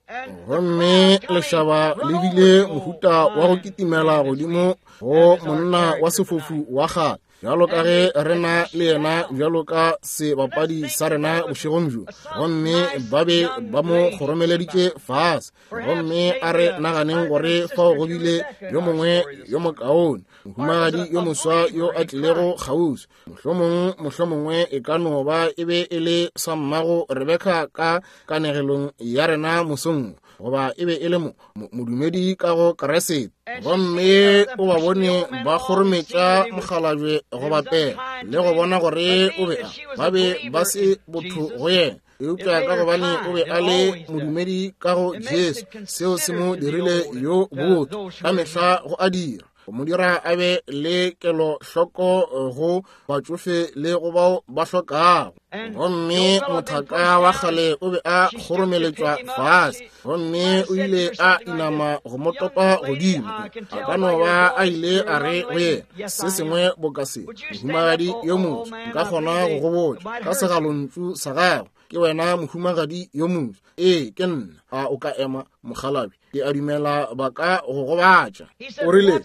Gomme lešaba le bile mohuta wa go kitimela godimo go monna wa sefofu wa kgale. Bjalo ka ge re na le yena bjalo ka sebapadi sa rena bošegong bjo, gomme ba be ba mo kgoromeleditše fase. Gomme a re naganeng gore fao go bile yo mongwe yo mokaone, mohumagadi yo moswa yo a tlilego kgauswi. Mohlomong, mohlomongwe e ka no ba e be e le sa mmago Rebeka ka kanegelong ya rena mosong, goba e be e le modumedi ka go Kriste. Gomme o ba bone ba kgorometša mokgalabje go bapela le go bona gore o be a ba be ba se botho go yena, eupša ka gobane o be a le modumedi ka go Jesu, seo se mo dirile yo botho ka mehla go a dira, go mo dira a be le kelohloko go batšofe le go bao ba hlokago. Gomme mothaka wa kgale o be a kgoromeletšwa fase, gomme o ile a inama go mo topa godimo. A ka no ba a ile a re go yena se sengwe boka se, mohumagadi yo moswa, nka kgona go go botša ka segalontšu sa gago, ke wena mohumagadi yo moswa. Ee, ke nna. A o ka ema, mokgalabje? Ke a dumela ba ka go gobatša. O rile,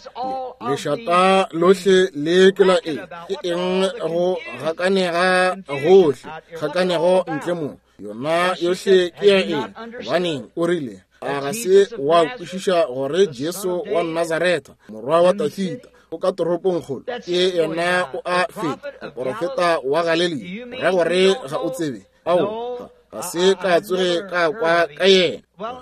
lešata lohle le ke la eng? Ke eng go gakanega gohle, kgakanego ntle mo? Yona yohle ke ya eng? Gobaneng, o rile, a ga se wa kwešiša gore Jesu wa Nazaretha, morwa wa Dafida, o ka toropongkgolo? Ke yena o a feta, moporofeta wa Galilea. Ra gore ga o tsebe? Ao, ga se ka tsoge ka kwa ka yena.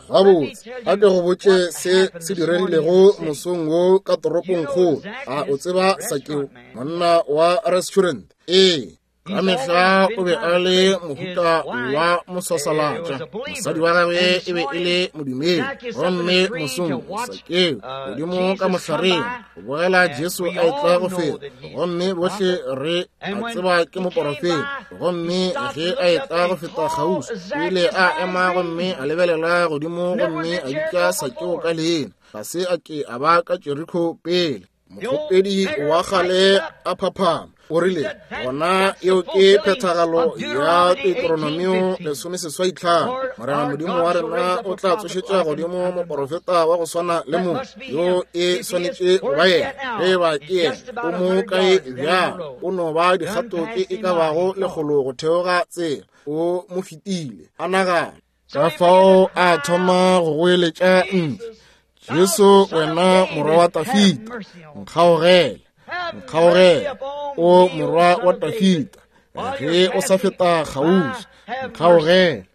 Gabotse, a ke go botše se se diregilego mosong wo ka toropongkgolo. A o tseba Sakeo, monna wa restaurant? Ee, ka mehla o be a le mohuta wa moswasalatša. Mosadi wa gagwe e be e le modumedi. Gomme mosong Sakeo godimo ka mohlareng go bogela Jesu a etla go feta, gomme bohle re a tseba ke moporofeta. Gomme ge a etla go feta kgauswi, o ile a ema gomme a lebelela godimo gomme a bitša Sakeo ka leina. Ga se a ke a ba ka Jeriko pele. Mokgopedi wa kgale a phaphama, o rile, gona eo ke phethagalo ya Deuteronomio 85. Morena Modimo wa rena o tla tsošetša godimo moporofeta wa go swana le mo, yo e swanetše go ba yena. Ge eba ke yena, o mo kae bjang? O no ba dikgato tše e ka bago lekgolo go theoga tsela, o mo fetile. A nagana. Ka fao a thoma go goeletša ntle, Jesu, wena morwa wa Dafida, nkgaogele, nkgaogele, o morwa wa Dafida, ge o sa feta kgauswi, nkgaogele.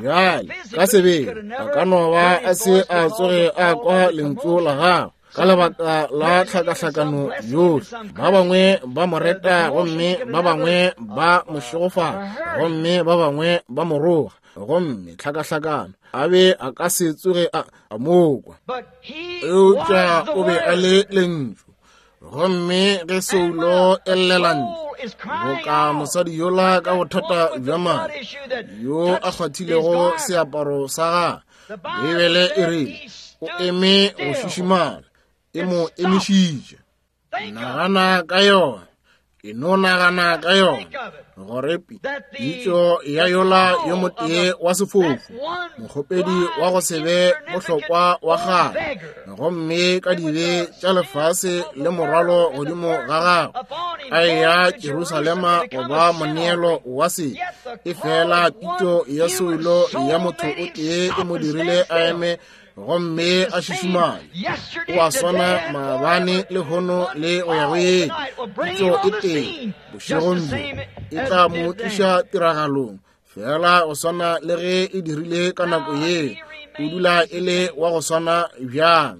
Bjale, ka sebele, a ka no ba a se a tsoge a kwa lentšu la gagwe ka lebaka la tlhakahlakano yohle. Ba bangwe ba mo reta, gomme ba bangwe ba mo šegofatša, gomme ba bangwe ba mo roga, gomme tlhakahlakano a be a ka se tsoge a mo kwa. Eupša o be a le lentšu. Gomme ge soulo e llela ntle, boka mosadi yola ka bothata bja madi, yo a kgwathilego seaparo sa gagwe, Beibele e rile o eme go šišimala, e mo emišitše. Nagana ka yona, e no nagana ka yona, gore pitšo ya yola yo motee wa sefofu, mokgopedi wa go se be bohlokwa wa kgale, gomme ka dibe tša lefase le morwalo godimo ga gagwe, a eya Jerusalema go ba moneelo wa sebe. E fela pitšo ya soulo ya motho o tee e mo dirile a eme gomme a šišimale. O a swana maabane, lehono le go ya go yeng. Pitšo e tee bošegong bjo e tla mo tliša tiragalong, fela go swana le ge e dirile ka nako ye. O dula e le wa go swana bjang?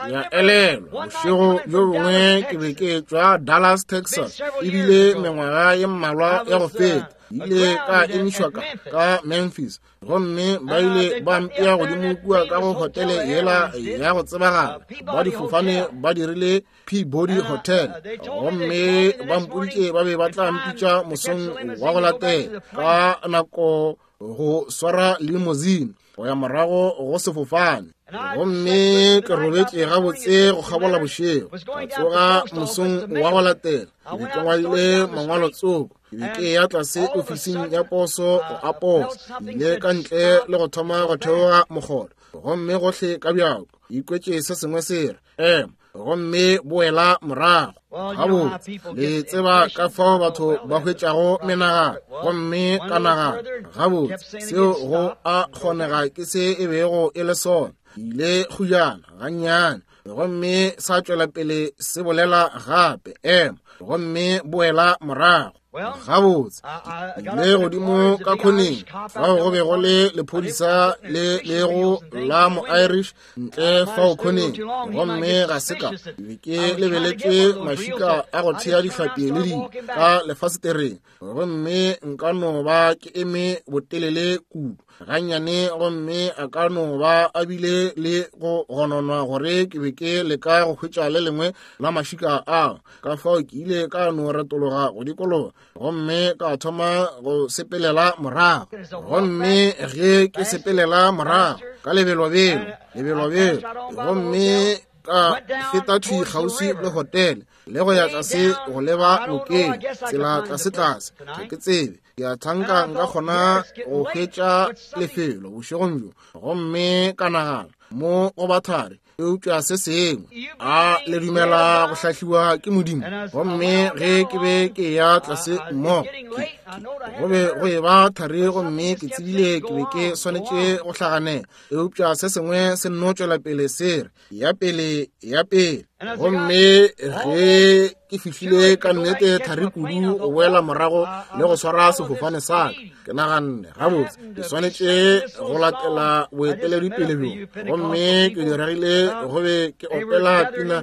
Ya elelwa bošego bjo bongwe ke be ke tšwa Dallas, Texas, ebile mengwaga ye mmalwa ya go feta. Ile ka emišwa ka Memphis, gomme ba ile ba mpea godimo kua ka go hotele yela ya go tsebagala ba difofane, ba dirile Peabody Hotel, gomme ba mpoditše ba be ba tla mpitša mosong wa go latela ka nako go swara limousine go ya morago go sefofane. Gomme ke robetše gabotse go kgabola bošego, ka tsoga mosong wa go latela, ke be ke ngwadile mangwalo tsoko, ke be ke ya tlase ofising ya poso go a posa, ke ile ka ntle le go thoma go theoga mokgolo, gomme gohle ka bjako ikwetše se sengwe se re ema. gomme boela morago. Gabotse, le tseba ka fao batho ba hwetšago menagano, gomme ka nagana, gabotse, seo go a kgonega ke se e bego e le sona. Ile kgujana gannyane, gomme sa tšwela pele se bolela gape, ema, gomme boela morago. Gabotse, le godimo ka khoneng fao go be go le lephodisa le lego la mo-Irish ntle fao khoneng, gomme ga se ka be ke lebeletše mašika a go thea dihlapi le dilo ka lefasetereng, gomme nka no ba ke eme botelele kudu gannyane, gomme a ka no ba a bile le go gononwa gore ke be ke leka go hwetša le lengwe la mašika ao. Ka fao ke ile ka no retologa go dikologa gomme ka thoma go sepelela morago, gomme ge ke sepelela morago ka lebelobelo lebelobelo, gomme ka feta thwi kgauswi le hotele le go ya tlase go leba nokeng, tsela tlase-tlase, ga ke tsebe, ke a thanka nka kgona go hwetša lefelo bošegong bjo. Gomme ka nagana, mo go bathari, eupša se sengwe, a le dumela go hlahliwa ke Modimo? Gomme ge ke be ke ya tlase mmogo, go be go e ba thari, gomme ke tsebile ke be ke swanetše go hlaganela, eupša se sengwe se nno tšwela pele se re, ya pele, ya pele. Gomme ge ke fihlile ka nnete thari kudu go boela morago le go swara sefofane sa ka, ke naganne, gabotse, ke swanetše go latela boeteledipele bjo. Gomme ke diregile go be ke opela pina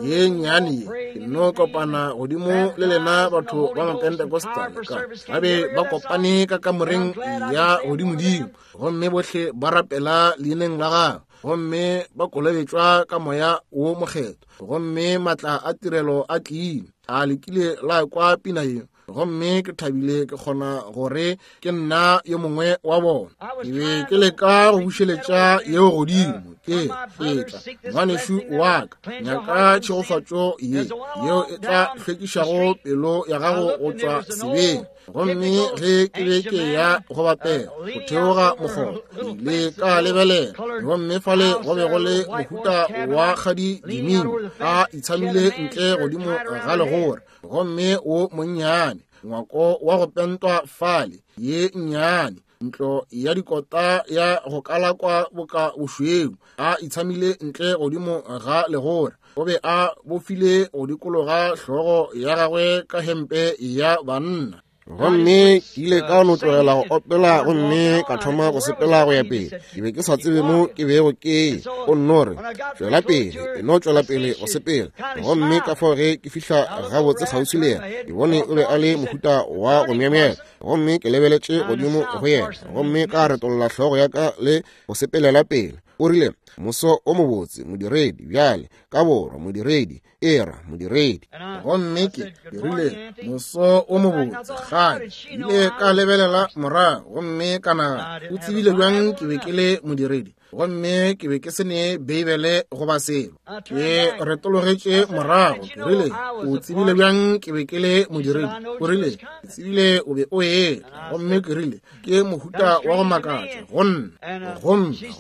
ye nnyane ye, ke nno kopana godimo le lena batho ba Mapentecostal ka ba be ba kopane ka kamoreng ya godimodimo, gomme bohle ba rapela leineng la gagwe, gomme ba kolobetšwa ka moya wo mokgethwa, gomme matla a tirelo a tlile. A lekile la kwa pina ye? Gomme ke thabile ke kgona gore ke nna yo mongwe wa bona. Ke be ke leka go bušeletša yeo godimo, ke etla ngwanešu wa ka, nyaka tšhegofatšo ye yeo e tla hlwekišago pelo ya gago go tšwa sebeng. Gomme ge ke be ke ya go bapela go theoga mokgoba, ile ka lebelela, gomme fale go be go le mohuta wa kgadi diming a itshamile ntle godimo ga legora, gomme wo monnyane ngwako wa go pentwa fale, ye nnyane ntlo ya dikota ya go kalakwa boka bošweu, a itshamile ntle godimo ga legora. O be a bofile go dikologa hlogo ya gagwe ka hempe ya banna. Gomme ke ile ka no tlogela go opela gomme ka thoma go sepela go ya pele. Ke be ke sa tsebe mo ke bego ke ye. O nno re, tšwela pele, e no tšwela pele go sepela. Gomme ka fao ge ke fihla gabotse kgauswi le yena, ke bone o be a le mohuta wa go myemyela. Gomme ke lebeletše godimo go yena, gomme ka retolla hlogo ya ka le go sepelela pele. O rile, moso o mobotse, modiredi, bjale, ka borwa, modiredi, era, modiredi. Gomme ke rile, moso o mobotse, kgale. Ile ka lebelela morago, gomme ka nagana, o tsebile bjang ke be ke le modiredi? Gomme ke be ke se ne Beibele goba selo. Ke retologetše morago, ke rile, o tsebile bjang ke be ke le modiredi? O rile, ke tsebile o be o etla. Gomme ke rile, ke mohuta wa go makatša go nna.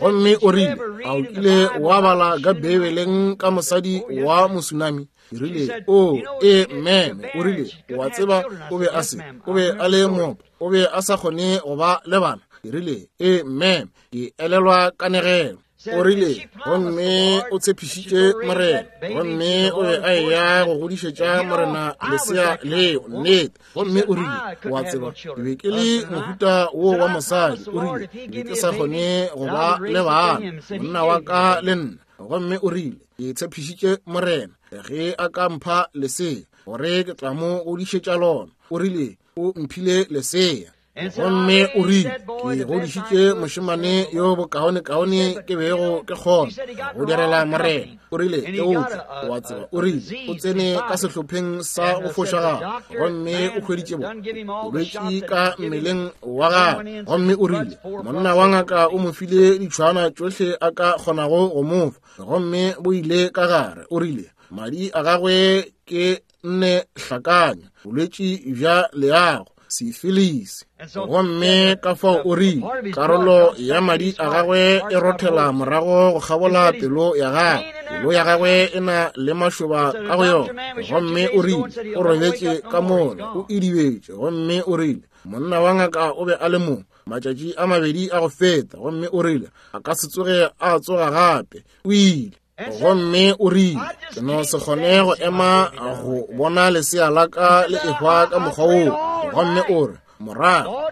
Gomme o rile, a o kile wa bala ka Beibeleng ka mosadi wa mosunami? Ke rile, o, e, meme. O rile, o a tseba, o be a se, o be a le moopa, o be a sa kgone go ba le bana. Ke rile, e, meme, ke elelwa kanegelo. O rile, gomme o tshepišitše Morena, gomme o be a eya go godišetša Morena lesea leo, nnete. Gomme o rile, o a tseba, ke be ke le mohuta wo wa mosadi. O rile, ke be ke sa kgone go ba le bana, monna wa ka le nna. Gomme o rile, ke tshepišitše Morena, ge a ka mpha lesea, gore ke tla mo godišetša lona. O rile, o mphile lesea. Gomme o rile, ke godišitše mošemane yo bokaonekaone ke bego ke kgona go direla Morena. O rile, eupša o a tseba, o rile, o tsene ka sehlopheng sa go fošagala, gomme o hweditše bolwetši ka mmeleng wa gagwe. Gomme o rile, monna wa ngaka o mo file ditšhwana tšohle a ka kgonago go mo fa, gomme bo ile ka gare. O rile, madi a gagwe ke nne hlakanya, bolwetši bja leago, sifilisi. Gomme ka fao o rile, karolo ya madi a gagwe e rothela morago go kgabola pelo ya gagwe. Pelo ya gagwe e na le mašoba ka go yona. Gomme o rile, o robetše ka mola, o idibetše. Gomme o rile, monna wa ngaka o be a le mo matšatši a mabedi a go feta, gomme o rile, a ka se tsoge a tsoga gape. O ile. Gomme o rile, ke no se kgone go ema go bona lesea la ka le ehwa ka mokgwa woo. Gomme o re, morago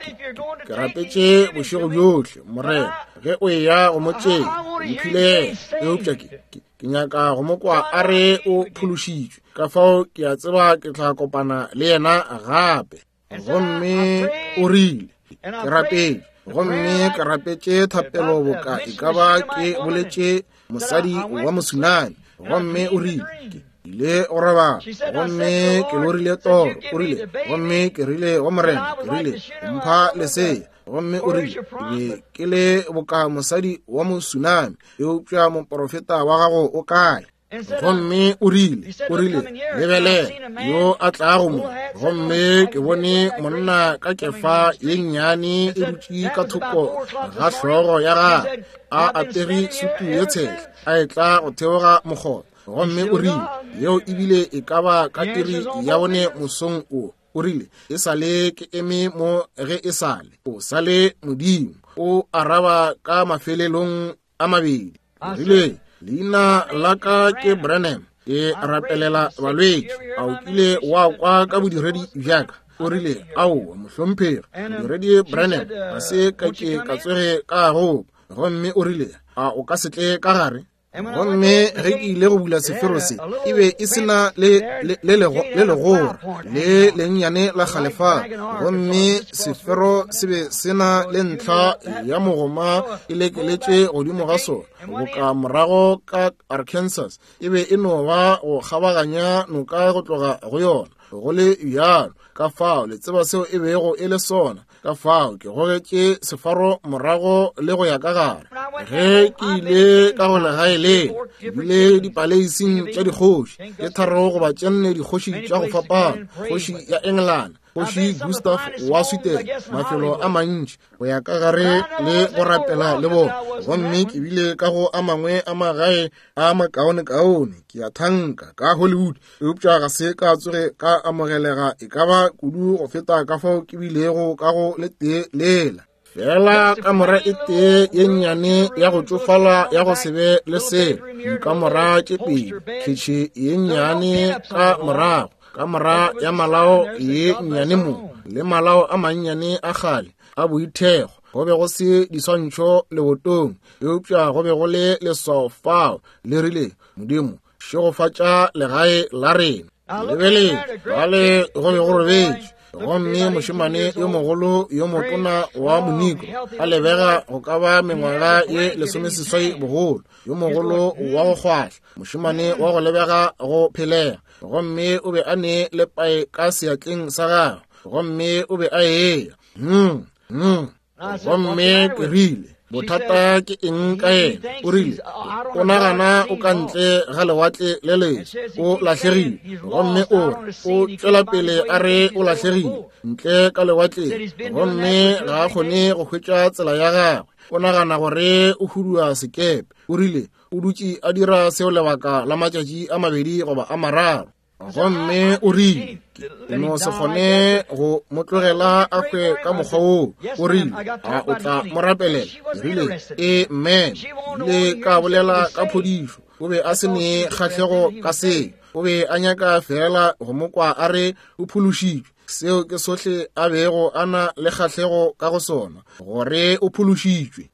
ke rapetše bošego bjohle, Morena, ge o eya go mo tšea, mphile yena, eupša ke nyaka go mo kwa a re o phološitšwe. Ka fao ke a tseba ke tla kopana le yena gape. Gomme o rile, ke rapetše, gomme ke rapetše thapelo boka e ka ba ke boletše mosadi wa mosunami. Gomme o rile, ke ile go robala, gomme ke lorile toro. O rile, gomme ke rile go Morena, ke rile, mpha lesea. Gomme o rile, ke be ke le boka mosadi wa mosunami, eupša moporofeta wa gago o kae? Gomme o rile, o rile, lebelela yo a tlago mo. Gomme ke bone monna ka kefa ye nnyane e dutše ka thoko ga hlogo ya gagwe, a apere sutu ye tshehla, a etla go theoga mokgotha. Gomme o rile, yeo ebile e ka ba ka iri ya 4 mosong o. O rile, e sa le ke eme mo ge e sa le, o sa le Modimo. O araba ka mafelelong a mabedi. Rile, leina la ka ke Branham, ke rapelela balwetši. A o kile wa kwa ka bodiredi bja ka? O rile, aowa, mohlomphegi, modiredi Branham, ga se ka ke ka tsoge ka gopa. Gomme o rile, a o ka se tle ka gare? Gomme ge ke ile go bula sefero se, e be e se na le legora le lennyane la kgale fa. Gomme sefero se be se na le ntlha ya mogoma e lekeletše godimo ga sona, boka morago ka Arkansas. E be e no ba go kgabaganya noka go tloga go yona, go le bjalo. Ka fao le tseba seo e bego e le sona. Ka fao ke gogetše sefaro morago le go ya ka gare. Ge ke ile ka go legae le, ke bile dipaleising tša dikgoši tše 3 goba tše 4 dikgoši tša go fapana, kgoši ya Engelane, kgoši Gustav wa Sweden, mafelo a mantši go ya ka gare le go rapela le bona. Gomme ke bile ka go a mangwe a magae a makaonekaone, ke a thanka, ka Hollywood, eupša ga se ka tsoge ka amogelega e ka ba kudu go feta ka fao ke bilego ka go le tee lela. Fela kamora e tee ye nnyane ya go tšofala ya go se be le selo, dikamora tše pedi, khitšhi ye nnyane ka morago, kamora ya malao ye nnyane mo, le malao a mannyane a kgale a boithekgo. Go be go se diswantšho lebotong, eupša go be go le leswao fao le rile, Modimo, šegofatša legae la rena. Lebeleng, bale go be go robetše, gomme mošemane yo mogolo yo motona wa moniko a lebega go ka ba mengwaga ye 18 bogolo, yo mogolo wa go kgwahla, mošemane wa go lebega go phelega, gomme o be a ne lepae ka seatleng sa gagwe, gomme o be a eya. Gomme ke rile, bothata ke eng ka yena? O rile, o nagana o ka ntle ga lewatle le letsho, o lahlegile. Gomme o re, o tšwela pele a re o lahlegile ntle ka lewatleng, gomme ga a kgone go hwetša tsela ya gagwe. O nagana gore o hudua sekepe. O rile, o dutše a dira seo lebaka la matšatši a 2 goba a 3. Gomme o rile, ke no se kgone go mo tlogela a hwe ka mokgwa woo. O rile, a o tla mo rapelela? Ke rile, amen. Ile ka bolela ka phodišo. O be a se ne kgahlego ka seo. O be a nyaka feela go mo kwa a re o phološitšwe. Seo ke sohle a bego a na le kgahlego ka go sona, gore o phološitšwe.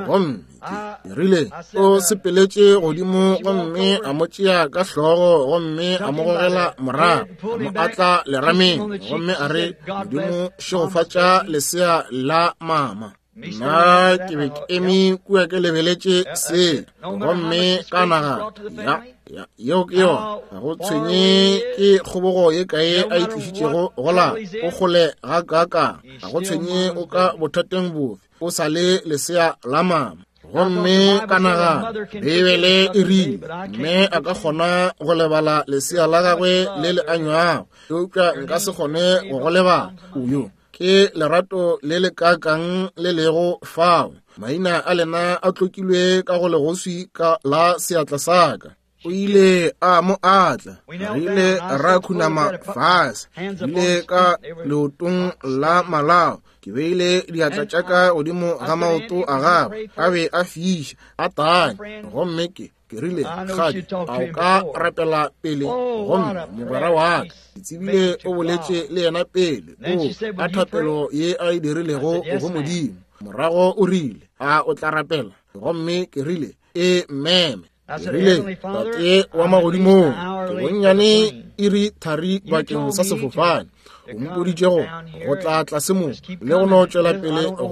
Gomme ke rile, o sepeletše godimo gomme a mo tšea ka hlogo gomme a mo gogela morago, a mo atla lerameng, gomme a re, Modimo šegofatša lesea la mama. Nna ke be ke eme kua ke lebeletše se, gomme ka nagana, ya, yeo ke yona. Ga go tshwenye ke kgobogo ye kae a e tlišitšego go la, o kgole ga kaakang, ga go tshwenye o ka bothateng bofe, o sa le lesea la mama. Gomme ka nagana, Beibele e rile, mme a ka kgona go lebala lesea la gagwe le le anywago, eupša nka se kgone go go lebala. Oyo ke lerato le le kakang le lego fao. Maina a lena a tlokilwe ka go legoswi ka la seatla sa ka. O ile a mo atla. Re ile ra khunama fase. Ile ka leotong la malao. Ke beile diatla tša ka godimo ga maoto a gagwe. A be a fiša, a tanya. Gomme ke, ke rile, Kgadi, a o ka rapela pele? Gomme mogwera wa ka, ke tsebile o boletše le yena pele. O, a thapelo ye a e dirilego go Modimo. Morago o rile, A o tla rapela? Gomme ke rile, E meme. Ke rile, Tate wa magodimong, ke bonnyane iri thari bakeng sa sefofane. O mpoditše go go tla tlase mo le go no tšwela pele go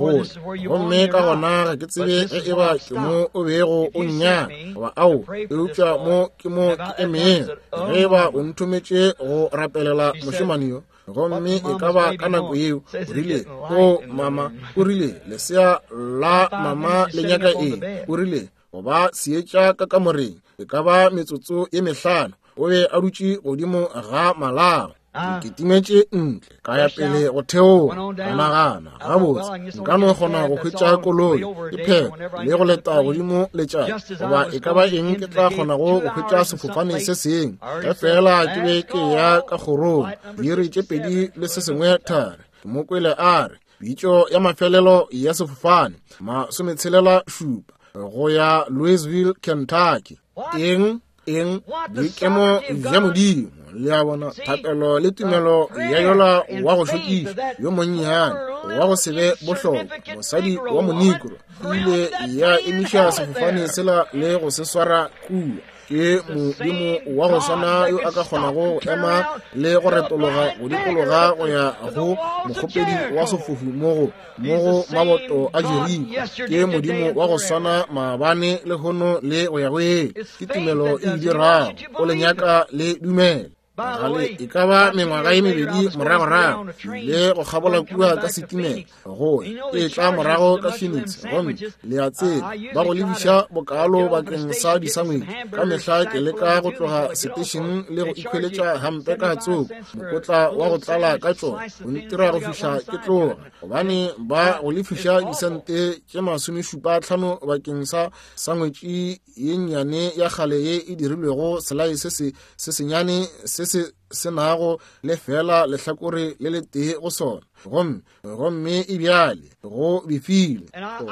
gomme ka gona ga ke tsebe ge e ba ke mo o bego o nnyaka goba ao, eupša mo ke mo ke emeng. Ge e ba o nthometše go rapelela mošemane yo, gomme e ka ba ka nako yeo o rile, O mama, o rile, lesea la mama le nyaka eng? O rile, go ba seetša ka kamoreng e ka ba metsotso ye mehlano. O be a dutše godimo ga malao. Ke timetše ntle ka ya pele go theoga, ka nagana, gabotse nka no kgona go hwetša koloi ke phela le go leta godimo letšatši goba e ka ba eng ke tla kgonago go hwetša sefofane se sengwe. Ge fela ke be ke ya ka kgorong diiri tše pedi le se sengwe thari, ke mo kwele a re, Pitšo ya mafelelo ya sefofane 67 go ya Louisville, Kentucky. Eng? Eng? Boikemo bja Modimo. Le a bona, thapelo le tumelo ya yola wa go šokiša yo monnyane wa go se be bohlokwa, mosadi wa monikro, e ile ya emiša sefofane sela le go se swara kua. Ke Modimo wa go swana yo a ka kgonago go ema le go retologa go dikologa go ya go mokgopedi wa sefofu mo go mo go maboto a Jeriko. Ke Modimo wa go swana maabane, lehono le go ya go ile. Ke tumelo e dirago. O le nyaka le dumele. Gale e ka ba mengwaga ye mebedi moragorago, ile go kgabola kua ka setimela go e tla morago ka Phoenix, gomme le a tseba ba go lebiša bokalo bakeng sa disangwetši. Ka mehla ke leka go tloga setešeng le go ikhweletša hampe ka tsoko mokotla wa go tlala ka tšona go ntira go fihla ke tloga, gobane ba go lefiša disente tše 75 bakeng sa sangwetši ye nnyane ya kgale ye e dirilwego selae se se se senyane se se se nago le fela lehlakore le letee go sona, gomme gomme e bjale go befile.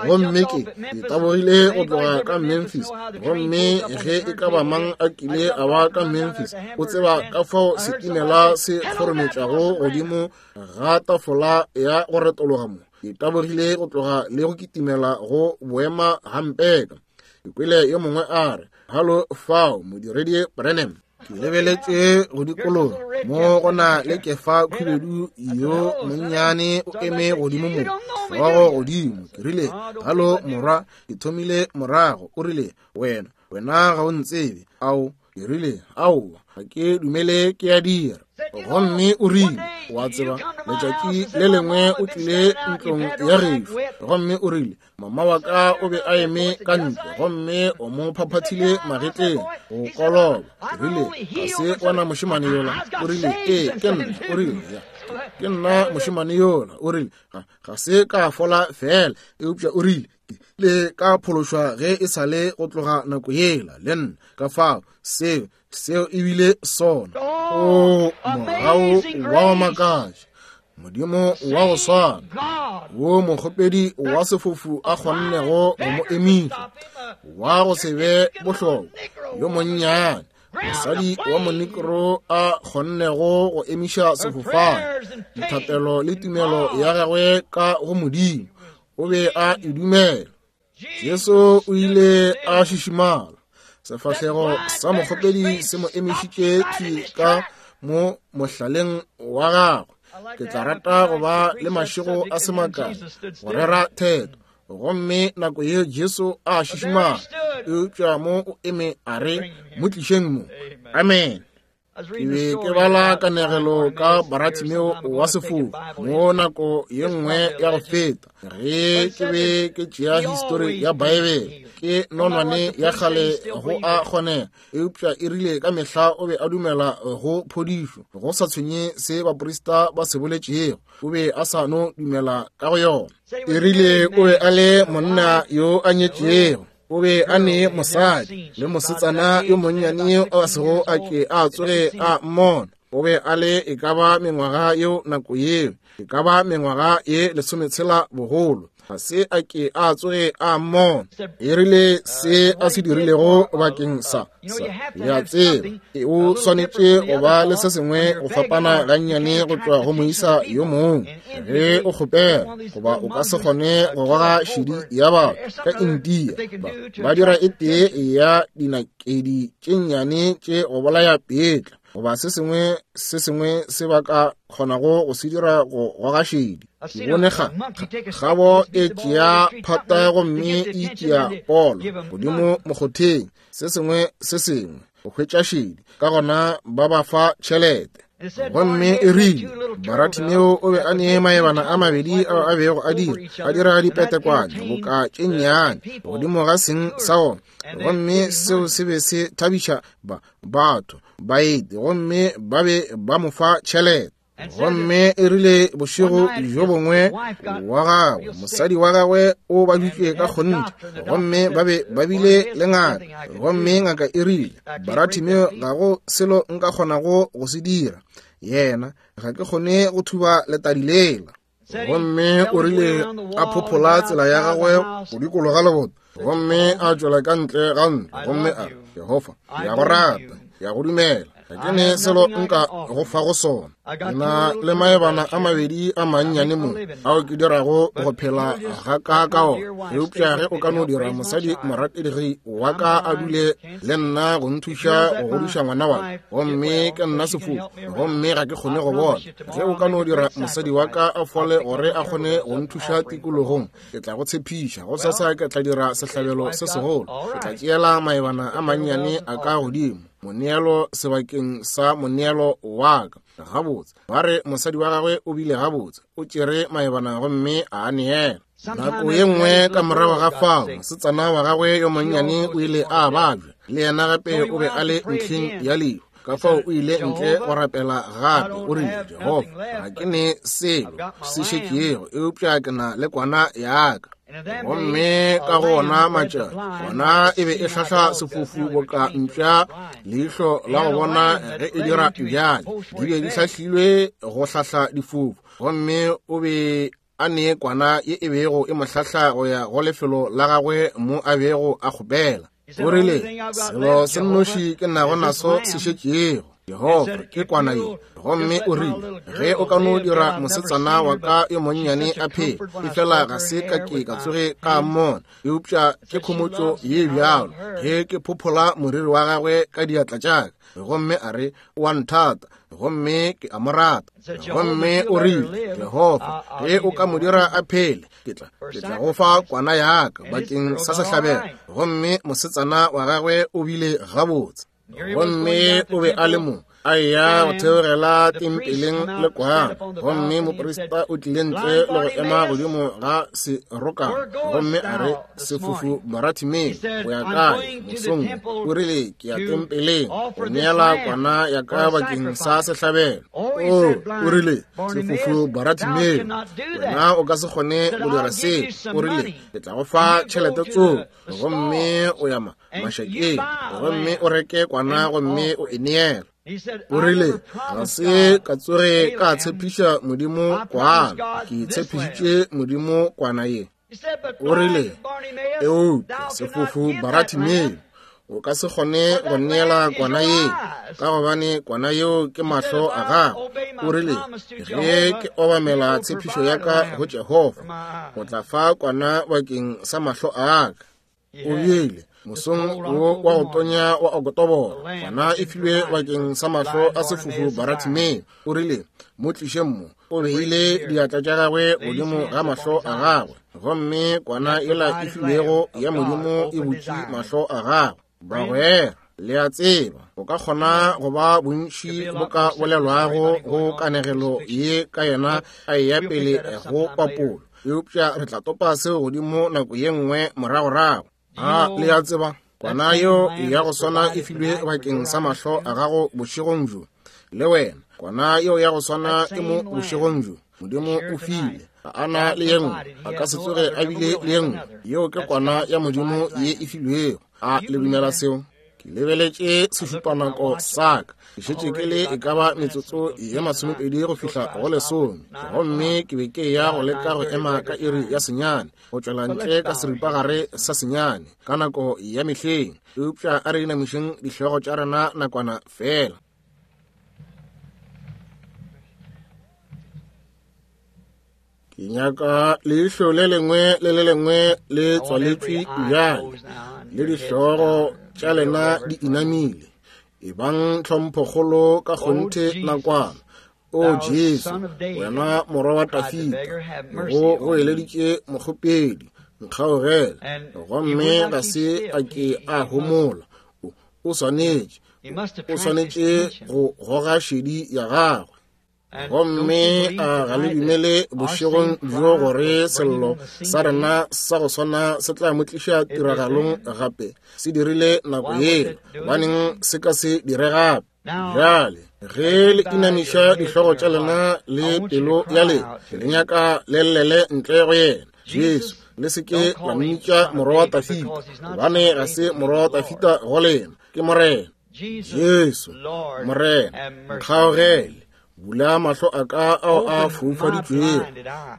Gomme ke tabogile go tloga ka Memphis, gomme ge e ka ba mang a kile a ba ka Memphis o tseba ka fao setimela se kgorometšago godimo ga tafola ya go retologa mo. Ke tabogile go tloga le go kitimela go boema gampeka. Ke kwele yo mongwe a re, Halo fao, modiredi Branham. Ke lebeletše go dikologa mo go na le kefa khubedu yo monnyane o eme godimo mo, hlogo godimo. Ke rile, Halo morwa. Ke thomile morago. O rile, Wena, wena ga o ntsebe. Ao, ke rile, aowa, ga ke dumele ke a dira. Gomme o rile, wa tseba, letšatši le lengwe o tlile ntlong ya gešo, gomme o rile, mama wa ka o be a eme ka ntle gomme o mo phaphathile magetleng go koloba. Ke rile, ga se wena mošemane yola? O rile, ee, ke nna. O rile, ya, ke nna mošemane yola. O rile, ga se ka fola fela, eupša o rile, ke le ka phološwa ge e sa le go tloga nako yela le nna. Ka fao seo, seo e bile sona. O mogau wa go makatša, Modimo wa go swana wo mokgopedi wa sefofu a kgonnego go mo emiša, wa go se be bohlokwa yo monnyane, mosadi wa monikro a kgonnego go emiša sefofane, dithapelo le tumelo ya gagwe ka go Modimo, o be a e dumela. Jesu o ile a šišimala, sefahlego sa mokgopedi se mo emišitše thwi ka mo mohlaleng wa gagwe. Ke tla rata go ba le mašego a se makae go rera theto. Gomme nako ye Jesu a šišimala, eupša mo o eme a re, mo tlišeng mo. Amen. Ke be ke bala kanegelo ka Baratimeo wa sefofu mo nako ye nngwe ya go feta, ge ke be ke tšea histori ya Baebele. Ke nonwane ya kgale go a kgonega, eupša e rile ka mehla o be a dumela go phodišo, go sa tshwenye se baprista ba se boletšego, o be a sa no dumela ka go yona. E rile o be a le monna yo a nyetšego. O be a ne mosadi le mosetsana yo monnyane a sego a ke a tsoge a mmona. O be a le e ka ba mengwaga yeo nako yeo, e ka ba mengwaga ye 16 bogolo. Ga se a ke a tsoge a mmona. E rile se a se dirilego bakeng sa le a tseba, o swanetše go ba le se sengwe go fapana gannyane go tšwa go moisa yo mongwe ge o kgopela, goba o ka se kgone go goga šedi ya batho ka India. Ba dira e tee ya dinakedi tše nnyane tše go bolaya peetla, goba se sengwe se sengwe se ba ka kgonago go se dira go goga šedi. Ke bone kgabo e tšea phata gomme e tšea polo godimo mokgotheng, se sengwe se sengwe go hwetša šedi, ka gona ba ba fa tšhelete. Gomme e rile Baratimeo o be a ne maebana a mabedi ao a bego a dira dipetekwane boka tše nnyane godimo ga seng sa ona, gomme seo se be se thabiša batho baeti, gomme ba be ba mo fa tšhelete. Gomme e rile bošego bjo bongwe wa gagwe, mosadi wa gagwe o baditšwe ka kgonthe, gomme ba be ba bile le ngaka, gomme ngaka e rile, Baratimeo, ga go selo nka kgonago go se dira, yena ga ke kgone go thuba letadi lela. Gomme o rile a phophola tsela ya gagwe go dikologa leboto, gomme a tšwela ka ntle ga ntlo, gomme a re, Jehofa, ke a go rata, ke a go dumela, ga ke ne selo nka go fa go sona. Ke na le maebana a mabedi a mannyane mo ao ke dirago go phela ga ka ka ona, eupša ge o ka no dira mosadi morategi wa ka a dule le nna go nthuša go godiša ngwana wa ka, gomme ke nna sefofu gomme ga ke kgone go bona, ge o ka no dira mosadi wa ka a fole gore a kgone go nthuša tikologong, ke tla go tshepiša go sasa ke tla dira sehlabelo se segolo. Ke tla tšeela maebana a mannyane a ka godimo moneelo sebakeng sa moneelo wa ka. Gabotse, ba re mosadi wa gagwe o bile gabotse, o tšere maebana gomme a a neela. Nako ye nngwe ka morago ga fao, mosetsana wa gagwe yo monnyane o ile a babja, le yena gape o be a le ntlheng ya lehu. Ka fao o ile ntle go rapela gape, o rile, Jehofa, ga ke ne selo se šetšego, eupša ke na le kwana ya ka. Gomme ka go ona matšatši, kwana e be e hlahla sefofu boka mpša leihlo la go bona ge e dira bjale. Di be di hlahlilwe go hlahla difofu, gomme o be a ne kwana ye e bego e mo hlahla go ya go lefelo la gagwe mo a bego a kgopela. O rile, selo se nnoši ke nago naso se šetšego, Jehofa, ke kwana ye. Gomme o rile, ge o ka no dira mosetsana wa ka yo monnyane a phele, efela ga se ka ke ka tsoge ka mmona, eupša ke khomotšo ye bjalo ge ke phophola moriri wa gagwe ka diatla tša ka. Gomme a re, o a nthata, gomme ke a mo rata. Gomme o rile, Jehofa, ge o ka mo dira a phele, ke tla go fa kwana ya ka bakeng sa sehlabelo. Gomme mosetsana wa gagwe o bile gabotse. Gomme o be a le mo a eya go theogela tempeleng le kwana, gomme moprista o tlile ntle le go ema godimo ga serokana, gomme a re, sefofu Baratimeo, o ya kae mosong? O rile, ke ya tempeleng go neela kwana ya ka bakeng sa sehlabelo. O o rile, sefofu Baratimeo, wena o ka se kgone go dira seo. O rile, ke tla go fa tšhelete tsoo, gomme o ya mašakeng gomme o reke kwana gomme o e neela. O rile, ga se ka tsoge ka tshepiša Modimo kwana, ke tshepišitše Modimo kwana ye. O rile, eupša sefofu Baratimeo, o ka se kgone go neela kwana ye, ka gobane kwana yeo ke mahlo a gago. O rile, ge ke obamela tshepišo ya ka go Jehofa, o tla fa kwana bakeng sa mahlo a ka. O bile mosong wo wa go tonya wa Okotoboro, kwana e filwe bakeng sa mahlo a sefofu Baratimeo. O rile, mo tliše mo. O beile diatla tša gagwe godimo ga mahlo a gagwe, gomme kwana yela e filwego ya Modimo e butše mahlo a gagwe. Bagwera, le a tseba, o ka kgona go ba bontši bo ka bolelwago go kanegelo ye ka yena a eya pele go papolo, eupša re tla topa seo godimo nako ye nngwe moragorago. A le a tseba, kwana yeo ya go swana e filwe bakeng sa mahlo a gago bošegong bjo, le wena. Kwana yeo ya go swana e mo bošegong bjo. Modimo o file. Ga a na le ye nngwe, a ka se tsoge a bile le ye nngwe. Yeo ke kwana ya Modimo ye e filwego. A le dumela seo? Ke lebeletše sešupanako sa ka, ke šetše ke le e ka ba metsotso ye 20 go fihla go 10, gomme ke be ke ya go leka go ema ka iri ya 9, go tšwela ntle ka seripagare sa 9, ka nako ya mehleng. Eupša a re inamišeng dihlogo tša rena nakwana feela. Ke nyaka leihlo le lengwe le le lengwe le tswaletšwe bjale, le dihlogo tša lena di inamile. Ebang tlhomphokgolo ka kgonthe nakwana. O Jesu, wena morwa wa Dafida, go goeleditše mokgopedi, nkgaogele. Gomme ga se a ke a homola. O swanetše, o swanetše go goga šedi ya gagwe. Gomme a ga le dumele bošegong bjo gore sello sa rena sa go swana se tla mo tliša tiragalong gape? Se dirile nako yela, gobaneng se ka se dire gape? Bjale ge le inamiša dihlogo tša lena le pelo ya lena, le nyaka le llele ntle go yena, Jesu. Le se ke la mmitša morwa wa Dafida, gobane ga se morwa wa Dafida go lena, ke Morena. Jesu, Morena, nkgaogele, bula mahlo a ka ao a foufaditšwego.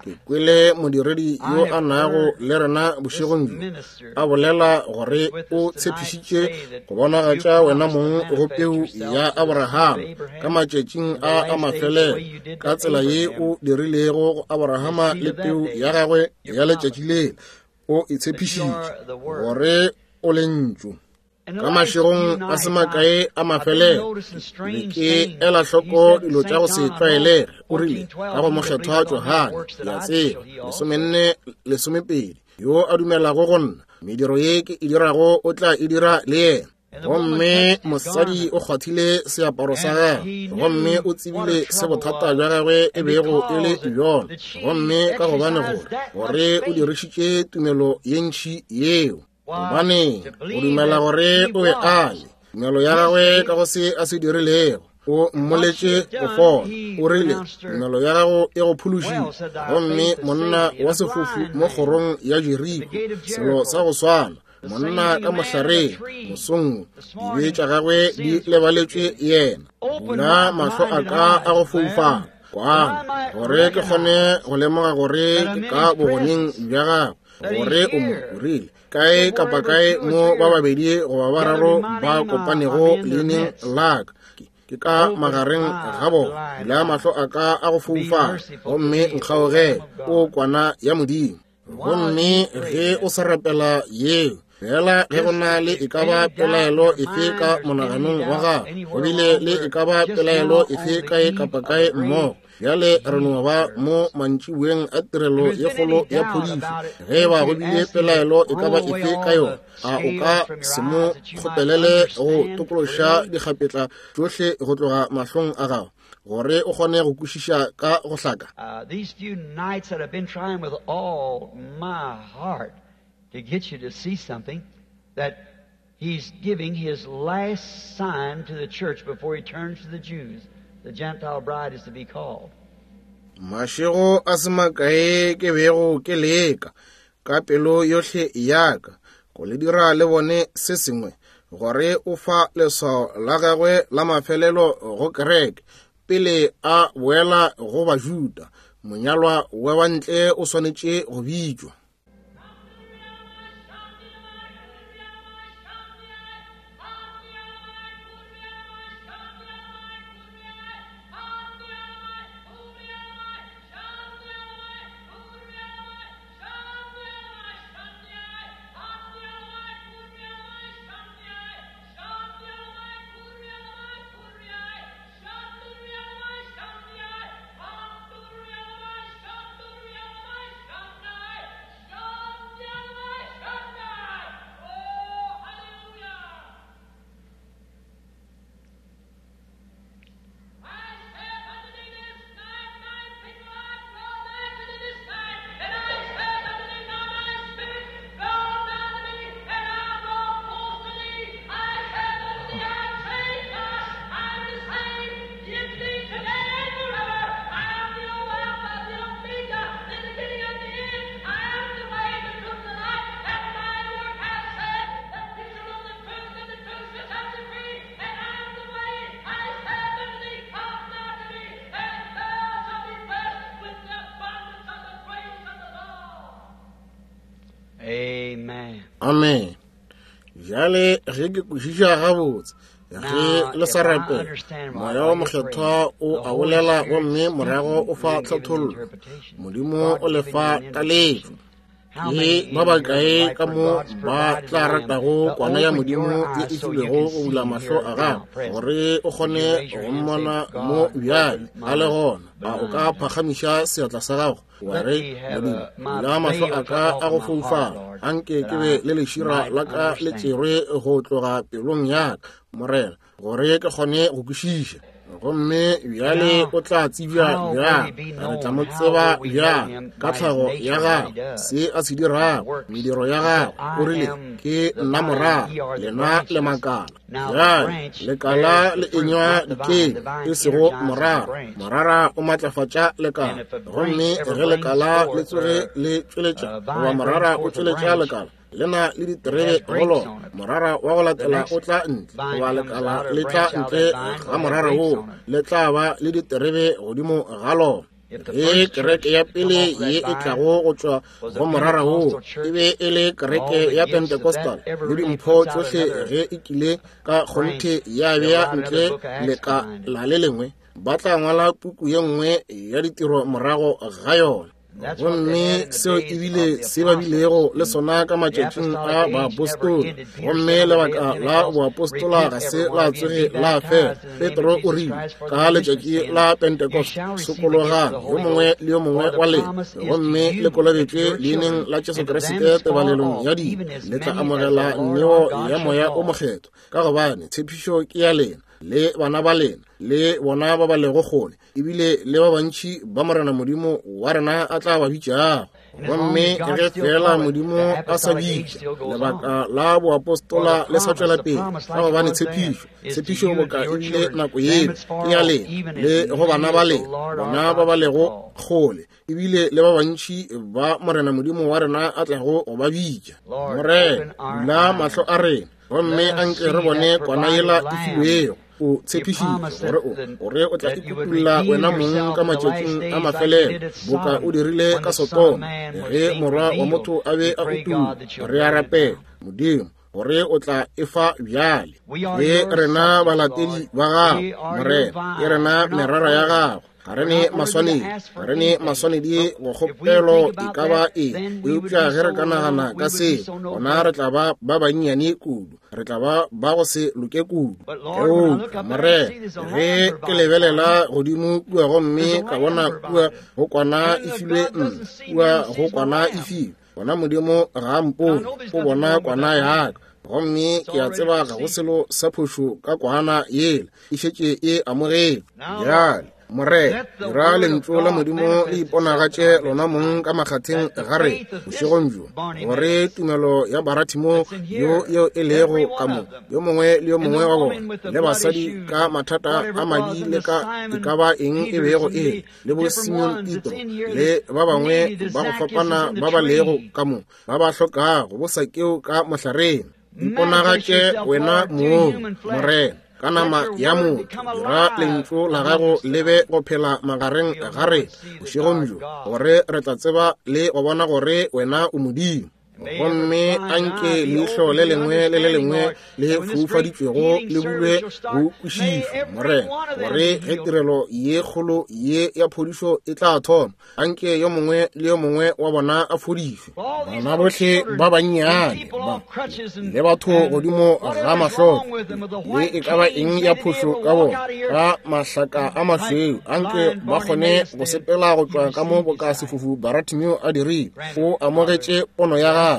Ke kwele modiredi yo a nago le rena bošegong bjo a bolela gore o tshepišitše go bonagatša wena mong go peu ya Abrahama ka matšatšing a a mafelelo, ka tsela ye o dirilego go Abrahama le peu ya gagwe ya letšatši lela. O e tshepišitše gore o lentšu. Ka mašegong a se makae a mafelelo, be ke ela hloko dilo tša go se tlwaelege. O rile ka go mokgethwa Johane, ke a tseba, 14:12, yo a dumelago go nna, mediro ye ke e dirago o tla e dira le yena. Gomme mosadi o kgwathile seaparo sa gagwe, gomme o tsebile se bothata bja gagwe e bego e le bjona, gomme ka gobane gore o dirišitše tumelo ye ntši yeo. Gobane o dumela gore o be a le tumelo ya gagwe ka go se a se dirilego, o mmoletše go fola. O rile, tumelo ya gago e go phološitše. Gomme monna wa sefofu mo kgorong ya Jeriko, selo sa go swana, monna ka mohlareng mosong, dibe tša gagwe di lebaletšwe yena. Bula mahlo a ka a go foufala, kwana, gore ke kgone go lemoga gore ke ka bogoneng bja gagwe, gore o mo rile kae kapa kae mo ba babedi goba bararo ba kopanego leineng la ka, ke ka magareng ga bona. Bula mahlo a ka a go foufala, gomme nkgaogele, o kwana ya Modimo. Gomme ge o sa rapela yeo, fela ge go na le e ka ba pelaelo efe ka monaganong wa gago, go bile le e ka ba pelaelo efe kae kapa kae mmogo, bjale re no ba mo mantšiboeng a tirelo ye kgolo ya phodišo. Ge e ba go bile pelaelo e ka ba efe ka yona, a o ka se mo kgopelele go tokološa dikgapetla tšohle go tloga mahlong a gago, gore o kgone go kwešiša ka go hlaka? These few nights that I've been trying with all my heart to get you to see something, that he's giving his last sign to the church before he turns to the Jews. The Gentile bride is to be called. Mašego a se makae ke bego ke leka ka pelo yohle ya ka go le dira le bone se sengwe, gore o fa leswao la gagwe la mafelelo go kereke pele a boela go Bajuda. Monyalwa wa bantle o swanetše go bitšwa. Amen. Bjale ge ke kwešiša gabotse, ge le sa rapela, Moya wo Mokgethwa o a bolela gomme morago o fa tlhathollo. Modimo o le fa taletšo. Ke ba bakae ka mo ba tla ratago kwana ya Modimo ye e filwego go bula mahlo a gago gore o kgone go mmona mo bjale a le gona? A o ka phagamiša seatla sa gago wa re, Modimo, bula mahlo a ka a go foufala, anke ke be le lešira la ka le tšerwe go tloga pelong ya ka, Morena, gore ke kgone go kwešiša. Gomme bjale o tla tsebja bjang? Re tla mo tseba bjang? Ka tlhago ya gagwe, se a se dirago, mediro ya gagwe. O rile, Ke nna morara, lena le makala. Bjale lekala le enywa dikeng, e sego morara. Morara o matlafatša lekala. Gomme ge lekala le tsoge le tšweletša, goba morara o tšweletša lekala, le na le diterebe go lona. Morara wa go latela o tla ntle, goba lekala le tla ntle ga morara woo, le tla ba le diterebe godimo ga lona. Ge kereke ya pele ye e tlago go tšwa go morara woo e be e le kereke ya Pentecostal, le dimpho tšohle ge e kile ka kgonthe ya bea ntle lekala le lengwe, ba tla ngwala puku ye nngwe ya ditiro morago ga yona. Gomme seo e bile se ba bilego le sona ka matšatšing a baapostola. Gomme lebaka la boapostola ga se la tsoge la fela. Petro o rile ka letšatši la Pentecost, sokologang yo mongwe le yo mongwe wa lena, gomme le kolobetšwe leineng la Jesu Kriste tebalelong ya dibe, le tla amogela neo ya Moya o Mokgethwa, ka gobane tshepišo ke ya lena le bana ba lena le bona ba ba lego kgole, ebile le ba bantši ba Morena Modimo wa rena a tla ba bitšago. Gomme ge fela Modimo a sa bitša, lebaka la boapostola le sa tšwela pele, ka gobane tshepišo, tshepišo boka ebile nako yeo ke ya lena le go bana ba lena, bona ba ba lego kgole, ebile le ba bantši ba Morena Modimo wa rena a tlago go ba bitša. Morena, bula mahlo a rena, gomme anke re bone kwana yela e filwego. O tshepišitše gore o gore o tla ikutulla wena mong ka matšatšing a mafelelo, boka o dirile ka Sodoma, ge morwa wa motho a be a utulla. Re a rapela, Modimo, gore o tla e fa bjale. Ke rena balatedi ba gago, Morena, ke rena merara ya gago. Ga re ne maswanedi, ga re ne maswanedi go kgopelo e ka ba eng, eupša ge re ka nagana ka seo, gona re tla ba ba bannyane kudu, re tla ba ba go se loke kudu. Eupša, Morena, ge ke lebelela godimo kua gomme ka bona kua go kwana e filwe nna, kua go kwana e filwe, gona Modimo ga a mpone, o bona kwana ya ka. Gomme ke a tseba ga go selo sa phošo ka kwana yela, e šetše e amogetšwe. Bjale, Morena, dira lentšu la Modimo le iponagatše lona mong ka makgatheng ga rena bošegong bjo, gore tumelo ya Baratimo yo yeo e lego ka mo, yo mongwe le yo mongwe wa bona, le basadi ka mathata a madi le ka e ka ba eng e bego e le, le bo Simon Petro le ba bangwe ba go fapana ba ba lego ka mo, ba ba hlokago bo Sakeo ka mohlareng. Iponagatše wena mong, Morena, ka nama ya motho, dira lentšu la gago le be go phela magareng ga rena bošegong bjo, gore re tla tseba le go bona gore wena o Modimo. Gomme anke leihlo le lengwe le le lengwe le foufaditšwego le bulwe go kwešišo, Morena, gore ge tirelo ye kgolo ye ya phodišo e tla thoma, anke yo mongwe le yo mongwe wa bona a fodišwe. Bana bohle ba bannyane ba le batho godimo ga mahloko, le e ka ba eng ya phošo ka bona, ka mahlaka a mašweu, anke ba kgone go sepela go tšwa ka mo boka sefofu Baratimeo a dirile. O amogetše pono ya gagwe.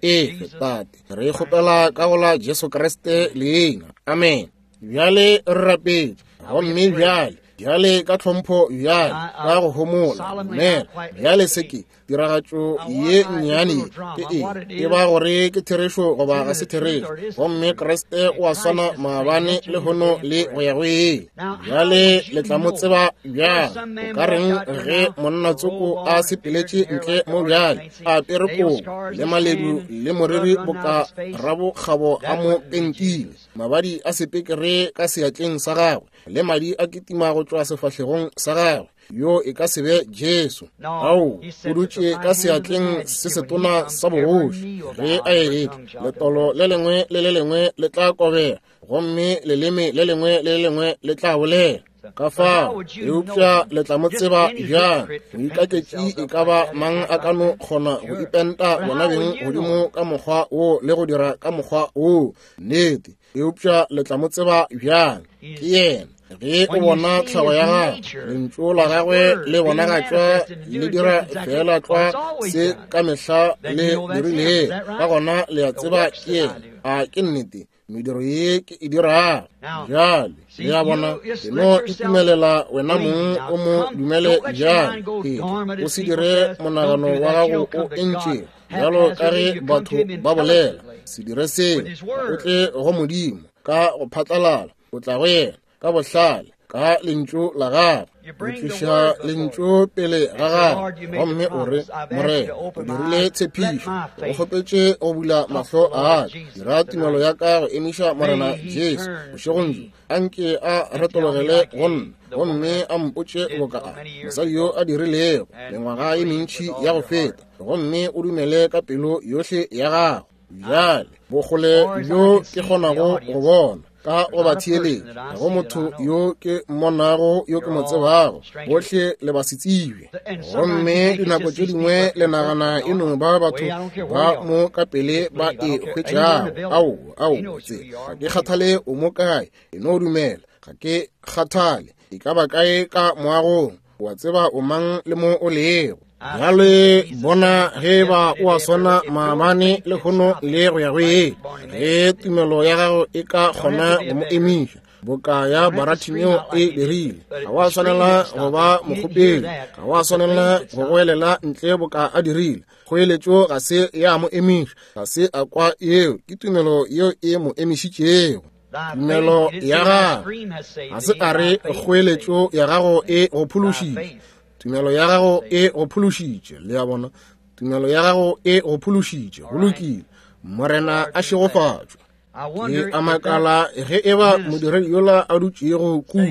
Efe, Tate, re kgopela ka go la Jesu Kriste leina. Amen. Bjale re rapetše, gomme bjale, bjale ka tlhompho, bjale ka go homola, dumela. Bjale se ke tiragatšo ye nnyane ye, ke eng? E ba gore ke therešo goba ga se therešo. Gomme Kriste o a swana maabane, lehono le go ya go ile. Bjale le tla mo tseba bjang? O ka reng ge monna tsoko a sepeletše ntle mo bjale, a apere kobo le maledu le moriri boka rabokgabo a mo pentile, mabadi a sepekere ka seatleng sa gagwe, le madi a kitima go tšwa sefahlegong sa gagwe? Yo e ka se be Jesu. Ao, o dutše ka seatleng se setona sa bogoši. Ge a etla, letolo le lengwe le le lengwe le tla kobega, gomme leleme le lengwe le le lengwe le tla bolela. Ka fao, eupša le tla mo tseba bjang? Moikaketši e ka ba mang a ka no kgona go ipenta bona beng godimo ka mokgwa wo le go dira ka mokgwa wo? Nnete. Eupša le tla mo tseba bjang? Ke yena. Ge o bona tlhago ya gagwe, lentšu la gagwe le bonagatšwa le dira feela tlwa se ka mehla le dirilego, ka gona le a tseba ke yena. A ke nnete? Mediro ye ke e dirago bjale, le a bona, ke no itumelela wena mong o mo dumele bjale. Ee, o se dire monagano wa gago o entšego bjalo ka ge batho ba bolela. Se dire seo, o tle go Modimo ka go phatlalala, o tla go yena ka bohlale ka lentšu la gagwe. O tliša lentšu pele ga gagwe gomme o re, Morena, o dirile tshepišo, o kgopetše go bula mahlo a ka, dira tumelo ya ka go emiša Morena Jesu bošegong bjo, a nke a retologele go nna gomme a mpotše boka a mosadi yo a dirilego mengwaga ye mentši ya go feta, gomme o dumele ka pelo yohle ya gago. Bjale bokgole bjo ke kgonago go bona ka go ba theeletša, ga go motho yo ke mmonago yo ke mo tsebago, bohle le ba se tsebe. Gomme dinako tše dingwe le nagana e no ba batho ba mo ka pele ba e hwetšago. Ao, ao, tse, ga ke kgathale o mo kae, e no dumela, ga ke kgathale e ka ba kae ka moagong, o a tseba o mang le mo o lego. Bjale bona ge ba o a swana maabane le hono le go ya go ye. Ge tumelo ya gago e ka kgona go mo emiša boka ya Baratimeo e dirile, ga wa swanela go ba mokgopedi, ga wa swanela go goelela ntle boka a dirile. Kgoeletšo ga se ya mo emiša, ga se a kwa yeo, ke tumelo yeo e mo emišitšego. Tumelo ya gago ga se a re kgoeletšo ya gago e go phološitše, tumelo ya gago e go phološitše. Le a bona, tumelo ya gago e go phološitše. Go lokile, Morena a šegofatšwe. Ke a makala ge e ba modiredi yola a dutšego kua,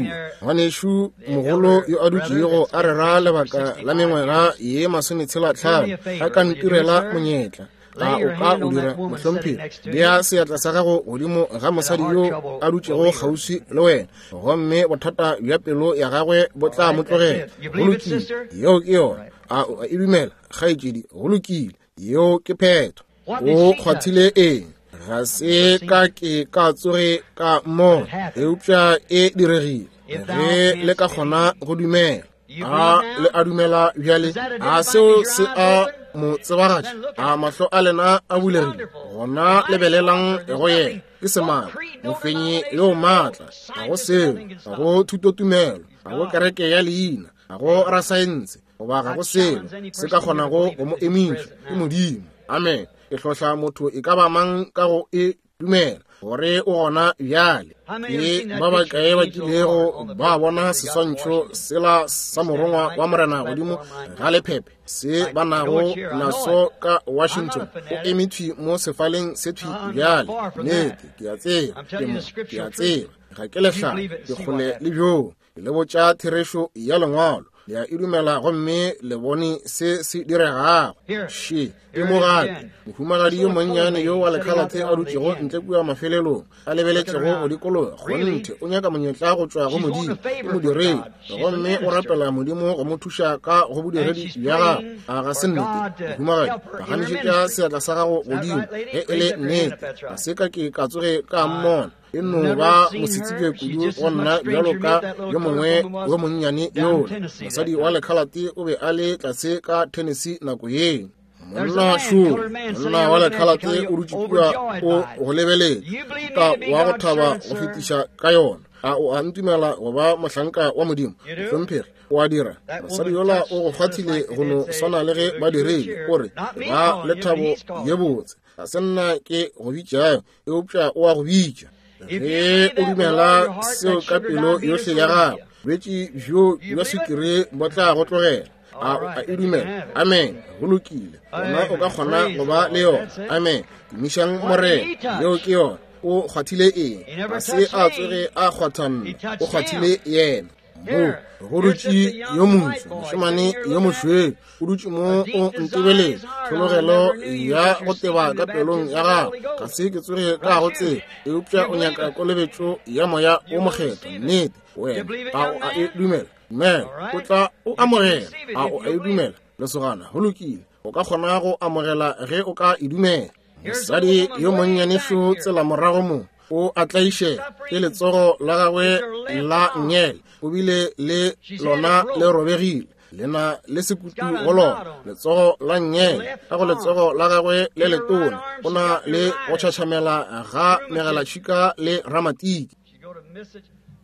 ngwanešu mogolo yo a dutšego a rera lebaka la mengwaga ye 65, a ka ntirela monyetla. A o ka o dira, mohlomphegi? Bea seatla sa gago godimo ga mosadi yo a dutšego kgauswi le wena, gomme bothata bja pelo ya gagwe bo tla mo tlogela. Go lokile, yeo ke yona. A o a e dumela, kgaetšedi? Go lokile, yeo ke phetho. O kgwathile eng? Ga se ka ke ka tsoge ka mmona, eupša e diregile. Ge le ka kgona go dumela. A le a dumela bjale? A seo se a mo tsebagatša? A mahlo a lena a bulegile? Gona lebelelang go yena. Ke semaka, mofenyi yo maatla. Ga go seo, ga go thutotumelo, ga go kereke ya leina, ga go rasaense, goba ga go selo se ka kgonago go mo emiša. Ke Modimo. Amen. Ke hlohla motho e ka ba mang ka go e dumela gore o gona bjale. Ke ba bakae ba kilego ba bona seswantšho sela sa morongwa wa Morena godimo ga lephephe se ba nago naso ka Washington? O eme thwi mo sefaleng se thwi bjale. Nnete, ke a tseba, ke mo, ke a tseba, ga ke lehlale, ke kgole le bjoo. Ke le botša therešo ya Lengwalo. Le a e dumela gomme le bone se se diregago. Še, e mo gape, mohumagadi yo monnyane yo wa lekhalathe a dutšego ntle kua mafelelong, a lebeletšego go dikologa. Kgonthe, o nyaka monyetla go tšwa go Modimo. Ke modiredi, gomme o rapela Modimo go mo thuša ka go bodiredi bja gagwe. A ga se nnete, mohumagadi? Phagamišetša seatla sa gago godimo ge e le nnete. Ga se ka ke ka tsoge ka mmona. E no ba mosetsebje kudu go nna bjalo ka yo mongwe yo monnyane yola. Mosadi wa lekhalate o be a le tlase ka Tennessee nako yeo. Monna šo, monna wa lekhalate o dutše kua o go lebeletše, ka wa go thaba go fetiša ka yona. A o a ntumela go ba mohlanka wa Modimo? Mohlomphegi, o a dira. Mosadi yola o go kgwathile go no swana le ge ba dirile. O re, ba lethabo ye botse. Ga se nna ke go bitšago, eupša o a go bitša. Ge o dumela seo ka pelo yohle ya gago, bolwetši bjo bja swikiri bo tla go tlogela. A o a e dumela? Amen. Go lokile, gona o ka kgona go ba le yona. Amen. Tumišang Morena. Yeo ke yona. O kgwathile eng? Ga se a tsoge a kgwatha nna, o kgwathile yena. Mo go dutše yo moso, mošemane yo mošweu, o dutše mo o ntebeletše, tlhologelo ya go teba ka pelong ya gago. Ga se ke tsoge ka go tseba, eupša o nyaka kolobetšo ya Moya wo Mokgethwa. Nnete, wena a o a e dumela? Dumela, o tla o amogela. A o a e dumela, lesogana? Go lokile, o ka kgona go amogela ge o ka e dumela. Mosadi yo monnyane šo tsela morago mo, o a tlaišega ke letsogo la gagwe la nngele, o bile le lona le robegile, le na le sekutu go lona, letsogo la nngele. Ka go letsogo la gagwe le letona o na le go tšhatšhamela ga megalatšhika le ramatiki.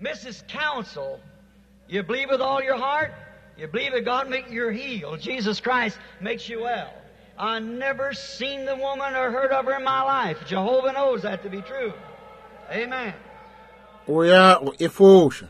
Mrs. Council, you believe with all your heart? You believe that God make you healed. Jesus Christ makes you well. I never seen the woman or heard of her in my life. Jehovah knows that to be true. Amen. O ya go efoša.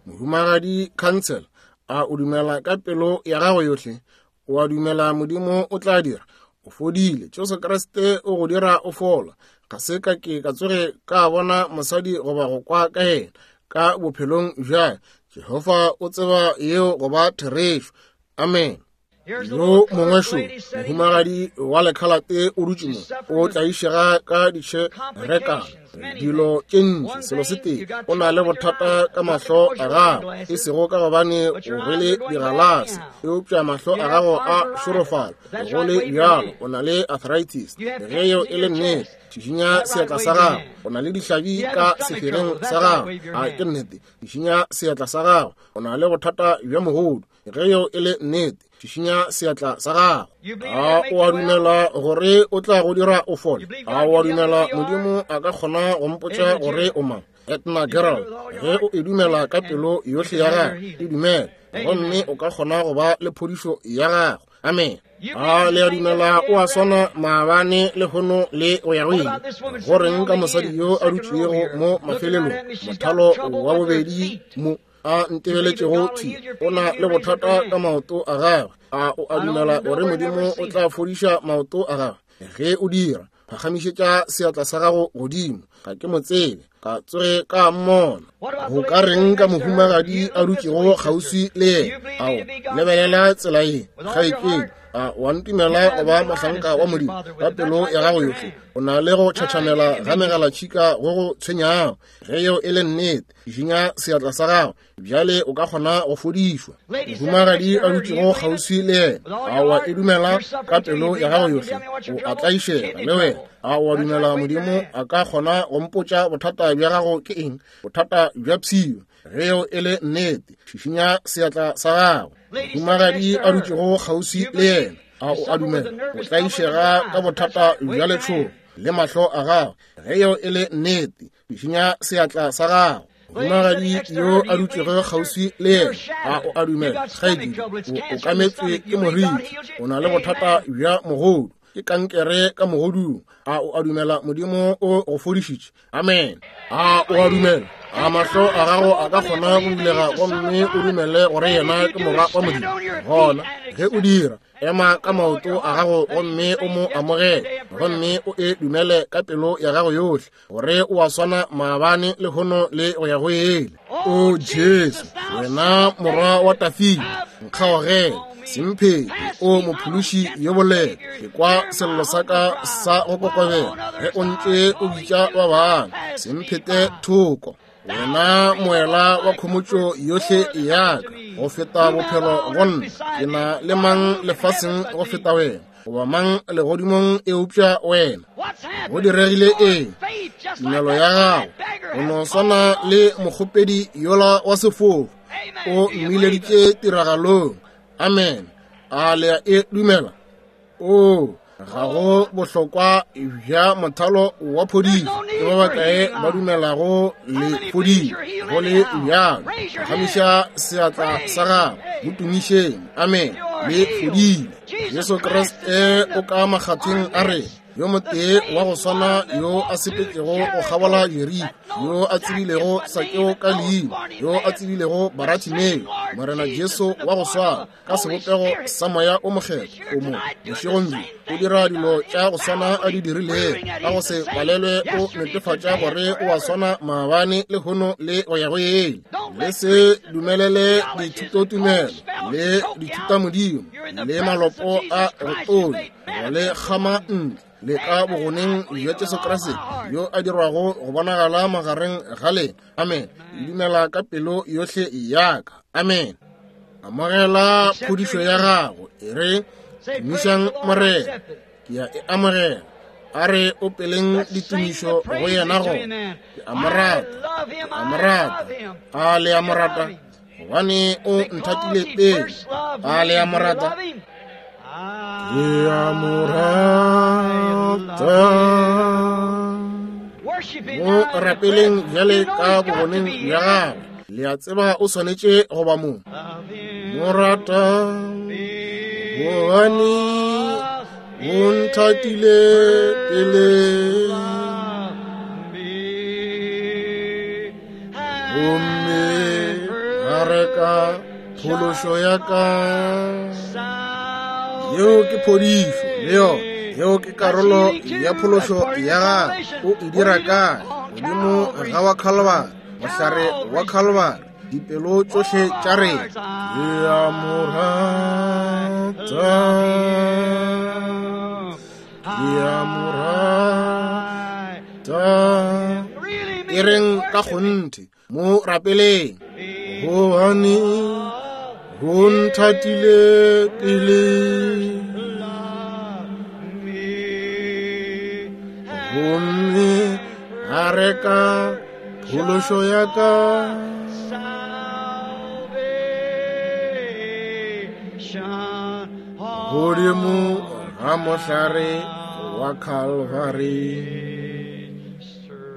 Mohumagadi Council, a o dumela ka pelo ya gago yohle? O a dumela Modimo o tla dira? O fodile. Jesu Kriste o go dira o fola. Ga se ka ke ka tsoge ka bona mosadi goba go kwa ka yena ka bophelong bja. Jehofa o tseba yeo go ba therešo. Amen. Yo mongwe šo, mohumagadi wa lekhalate o dutše mo, o tlaišega ka ditšherekano, dilo tše ntši. Selo se tee, o na le bothata ka mahlo a gago, e sego ka gobane o rwele digalase, eupša mahlo a gago a šorofala. Go le bjalo, o na le arthritis. Ge yeo e le nnete, šišinya seatla sa gago. O na le dihlabi ka sefereng sa gago. A ke nnete? Šišinya seatla sa gago. O na le bothata bja mogodu. Ge yeo e le nnete, šišinya seatla sa gago. A o a dumela gore o tla go dira o fole? A o a dumela Modimo a ka kgona go mpotša gore o mang? Edna Gerald, ge o e dumela ka pelo yohle ya gago, e dumele, gomme o ka kgona go ba le phodišo ya gago. Amen. A le a dumela o a swana maabane lehono le go ya go ile? Go reng ka mosadi yo a dutšego mo mafelelong, mothalo wa bobedi mo, a ntebeletšego thi, o na le bothata ka maoto a gagwe. A o a dumela gore Modimo o tla fodiša maoto a gagwe? Ge o dira, phagamišetša seatla sa gago godimo. Ga ke mo tsebe, ka tsoge ka mmona. Go ka reng ka mohumagadi a dutšego kgauswi le yena? Ao, lebelela tsela ye, kgaetšedi. A wa ntumela go ba mohlanka wa Modimo ka pelo ya gago yohle? O na le go tšhatšhamela ga megalatšhika go go tshwenyago. Ge yeo e le nnete, šišinya seatla sa gago. Bjale o ka kgona go fodišwa. Mohumagadi a dutšego kgauswi le yena, a wa e dumela ka pelo ya gago yohle? O a tlaišega le wena. A wa dumela Modimo a ka kgona go mpotša bothata bja gago ke eng? Bothata bja pshio. Ge yeo e le nnete, šišinya seatla sa gago. Mohumagadi a dutšego kgauswi le yena, a o a dumela? O tlaišega ka bothata bja letšhogo le mahlo a gago. Ge yeo e le nnete, šišinya seatla sa gago. Mohumagadi yo a dutšego kgauswi le yena, a o a dumela? Kgaetšedi, o okametšwe ke moriti, o na le bothata bja mogodu, ke kankere ka mogodung. A o a dumela Modimo o go fodišitše? Amen. A o a dumela? A mahlo a gago a ka kgona go bulega gomme o dumele gore yena ke Morwa wa Modimo? Gona ge o dira, ema ka maoto a gago gomme o mo amogele, gomme o e dumele ka pelo ya gago yohle, gore o a swana maabane lehono le go ya go ele. O Jesu, wena Morwa wa Dafida, nkgaogele, semphete, o mophološi yo boleta. Ke kwa sello sa ka sa go kokobela ge o ntše o bitša ba bangwe. Semphete thoko, wena moela wa khomotšo yohle ya ka, go feta bophelo go nna. Ke na le mang lefaseng go feta wena, goba mang legodimong eupša wena? Go diregile eng? Tumelo ya gago, o no swana le mokgopedi yola wa sefofu, o mmileditše tiragalong. Amen. A le a e dumela? O, ga go bohlokwa bja mothalo wa phodišo. Ke ba bakae ba dumelago le fodile? Go le bjalo, phagamiša seatla sa gago, mo tumišeng. Amen. Le fodile. Jesu Kriste o ka makgatheng a rena. Yo motee wa go swana yo a sepetšego go kgabola Jeriko, yo a tsebilego Sakeo ka leina, yo a tsebilego Baratimeo, Morena Jesu wa go swana ka sebopego sa Moya o Mokgethwa o mo bošegong bjo o dira dilo tša go swana a di dirilego, ka go se palelwe o netefatša gore o a swana maabane, lehono le go ya go ile. Le se dumelele dithutotumelo le dithutamodimo le malopo a go tonya go le kgama ntle le ka bogoneng bja Jesu Kriste yo a dirwago go bonagala magareng ga lena. Amen. Dumela ka pelo yohle ya ka. Amen. Amogela phodišo ya gago. E re, tumišang Morena. Ke ya e amogela. A re opeleng ditumišo go yena go. Ke a mo rata. Ke a mo rata. A le a mo rata? Gobane o nthatile pele. A le a mo rata? Ke a mo rata. Mo rapeleng bjale ka bogoneng bja gagwe. Le a tseba o swanetše go ba mo. Mo rata gobane o nthatile pele. Gomme a reka phološo ya ka. Yeo ke phodišo, le yona. Yeo ke karolo ya phološo ya gagwe. O e dira kae? Godimo ga wa Calvary, mohlare wa Calvary, dipelo tšohle tša rena. Ke a mo rata, ke a mo rata. E reng ka kgonthe, mo rapeleng. Gobane o nthatile pele. Gomme a reka phološo ya ka. Godimo ga mohlare wa Calvary.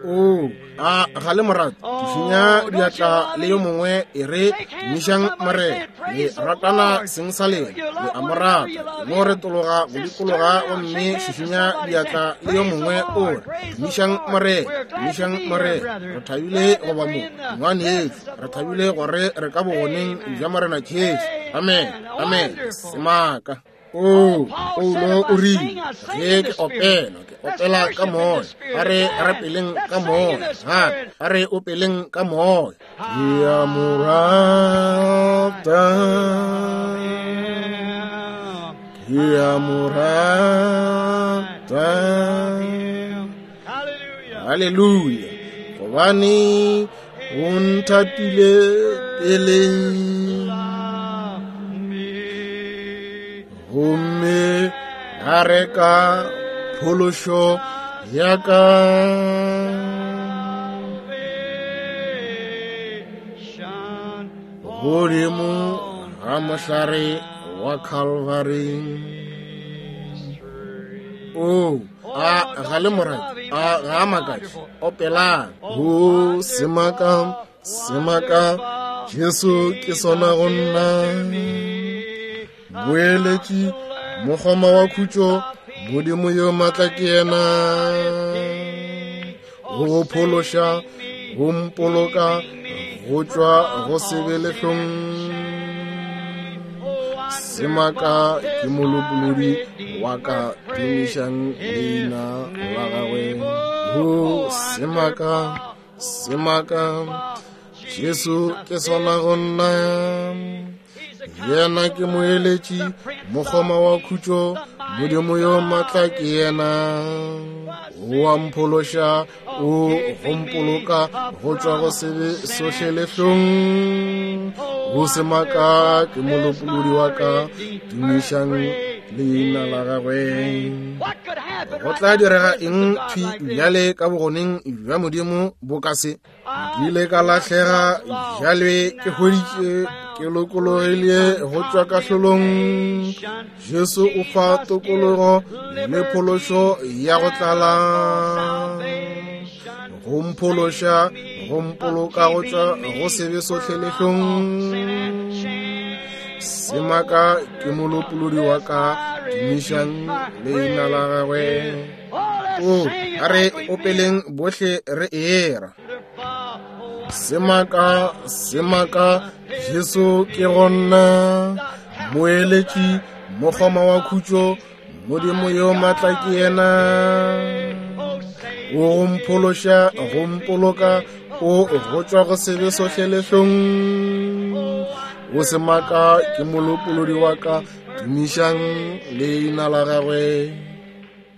O a ga le morata šišinya diatla le yo mongwe, e re tumišang Morena. Le ratana seng sa lena, le a mo rata. Mo retologa go dikologa gomme šišinya diatla le yo mongwe, o re tumišang Morena, tumišang Morena. Re thabile go ba mo, ngwanešu. Re thabile gore re ka bogoneng bja Morena Jesu. Amen, amen. Semaka. O, Paulo o rile, ge ke opela, ke opela ka moya. A re rapeleng ka moya. Gape, a re opeleng ka moya. Ke a mo rata. Ke a mo rata. Haleluya. Gobane o nthatile pele. Gomme a reka phološo ya ka. Godimo ga mohlare wa Calvary. O, a ga le morati, a ga a makatše. Opelang. O semaka, semaka, Jesu ke sona go nna. Moeletši, mokgoma wa khutšo, Modimo yo maatla ke yena. Go phološa, go mpoloka, go tšwa go sebe lehlong. Semaka ke molopolodi wa ka, tumišang leina la gagwe. Go semaka, semaka, Jesu ke sona go nna. Yena ke moeletši, mokgoma wa khutšo, Modimo yo maatla ke yena. O a mphološa, o go mpoloka go tšwa go sebe sohle lehlong. Go semaka ke molopolodi wa ka, tumišang leina la gagwe. Go tla direga eng thwi bjale ka bogoneng bja Modimo bo ka se? Ke ile ka lahlega, bjale ke hweditše, ke lokologile go tšwa kahlolong. Jesu o fa tokologo le phološo ya go tlala. Go mphološa, go mpoloka go tšwa go sebe sohle lehlong. Semaka ke molopolodi wa ka, tumišang leina la gagwe. O, a re opeleng bohle re era. Semaka, semaka, Jesu ke gona, moeletši, mokgoma wa khutšo, Modimo yo matla ke yena. O go mphološa, go mpoloka, o go tšwa go sebe sohle lehlong. O semaka ke molopolodi wa ka, tumišang leina la gagwe.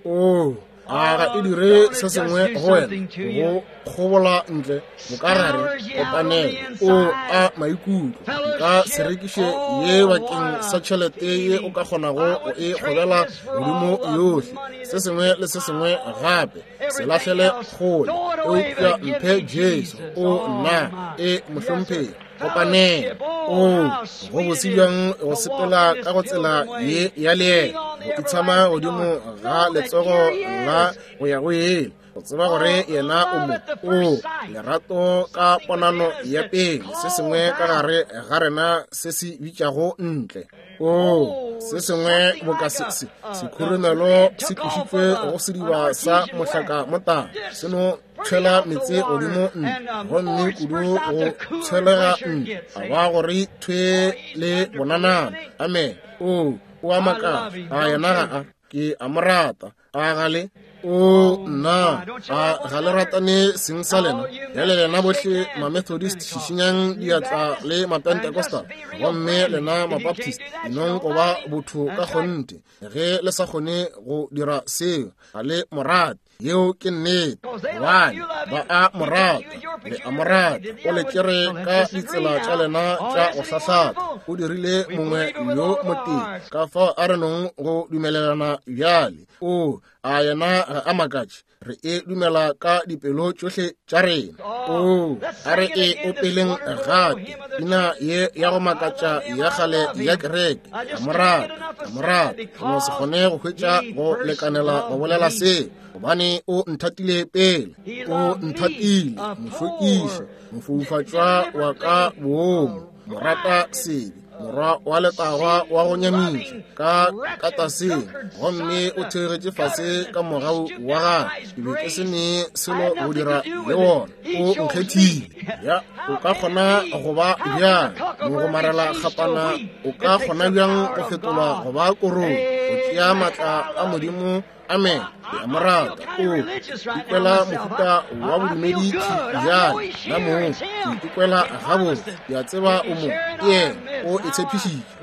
O a ga e dire se sengwe go wena go kgobola ntle bokagare kopanelo o a maikutlo nka se rekiše ye bakeng sa tšhelete ye o ka kgonago go e kgobela godimo yohle se sengwe le se sengwe gape se lahlele kgole eupša mphe Jesu o nna e mohlomphegi kopanelo o go bose bjang go sepela ka go tsela ye ya leeto go itshama godimo ga letsogo la go ya go ele go tseba gore yena o mo o lerato ka ponano ya pele se sengwe ka gare ga rena se se bitšago ntle o se sengwe boka se se sekhurumelo se tlošitšwe go sediba sa mohlaka motala se no tshwela meetse godimo ntle gomme kudu go tshwelega ntle a ba gore thwe le bonanana amen o o a makala a yena ga a ke a mo rata a gale o nna a ga le ratane seng sa lena bjale lena bohle mamethodist šišinyang diatla le mapentecostal gomme lena mabaptist nong go ba botho ka kgonthe ge le sa kgone go dira seo ga le morate yeo ke nnete gobane ba a morata le a morata o le tšere ka ditsela tša lena tša go hlahlatha o dirile mongwe yo motee ka fao a re nong go dumelelana bjale o a yena ga a makatše re e dumela ka dipelo tšohle tša rena o a re e opeleng gape pina ye ya go makatša ya kgale ya kereke a morata a morata no se kgone go hwetša go lekanela go bolela seo gobane o nthatile pele o nthatile mohlwekiši mofoufatšwa wa ka boomo morata sebe morwa wa letagwa wa go nyamiša ka kataseng gomme o theogetše fase ka mogau wa gagwe ke be ke se ne selo go dira le wona o nkgethile ya o ka kgona go ba bjang mogomarela kgapana o ka kgona bjang go fetolwa go ba korong go tšea maatla a modimo amen ke a mo rata o ikwela mohuta wa bodumedi bjale na mong ke ikwela gabotse ke a tseba o mo ke yena o e tshepišitše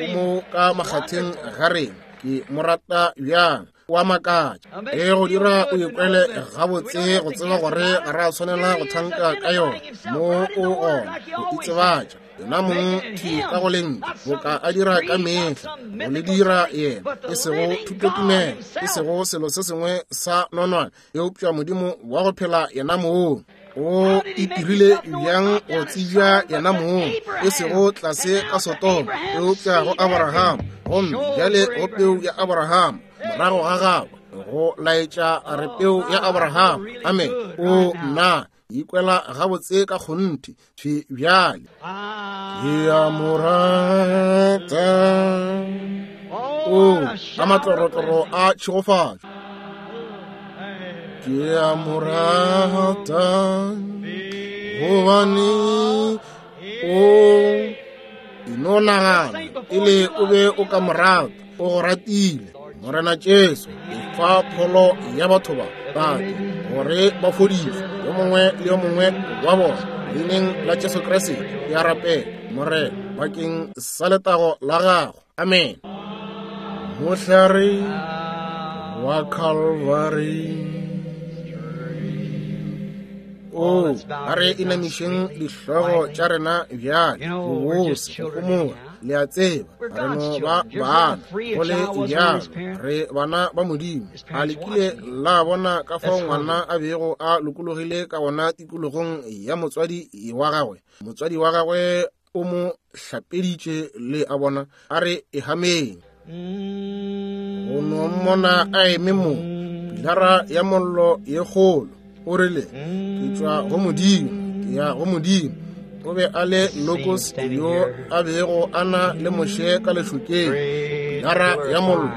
o mo ka makgatheng ga rena ke mo rata bjang o a makatša e go dira o ikwele gabotse go tseba gore ga re a tshwanela go thanka ka yona mo o gona go itsebatša yena mong thwi ka go lentšu boka a dira ka mehla go le dira yena e sego thutotumelo e sego selo se sengwe sa nonwane eupša modimo wa go phela yena mong o itirile bjang go tsebja yena mong e sego tlase ka sotoma eupša go aborahama gomme bjale go peu ya aborahama morago ga gagwe go laetša re peu ya aborahama amen o nna ikwela gabotse ka kgonthe thwi bjale ke a mo rata o ka matlorotloro a tšhegofatšo ke a mo rata gobane o ino nagana pele o be o ka mo rata o go ratile morena jesu efa pholo ya batho ba tate gore ba fodiswe yo mongwe le yo mongwe wa bona leineng la jesu kriste ke a rapela morena bakeng sa letago la gago amen mohlare wa calvary o a re inamišeng dihlogo tša rena bjale bobose go homola le a tseba re no ba bana go le bjalo re bana ba modimo a le kile la bona ka fao ngwana a bego a lokologile ka gona tikologong ya motswadi wa gagwe motswadi wa gagwe o mo hlapeditše le a bona a re ehameng go no mmona a eme mo pilara ya mollo ye kgolo o rile ke tšwa go modimo ke ya go modimo O be a le Logos yo a bego a na le Moshe ka lešokeng, pilara ya mollo.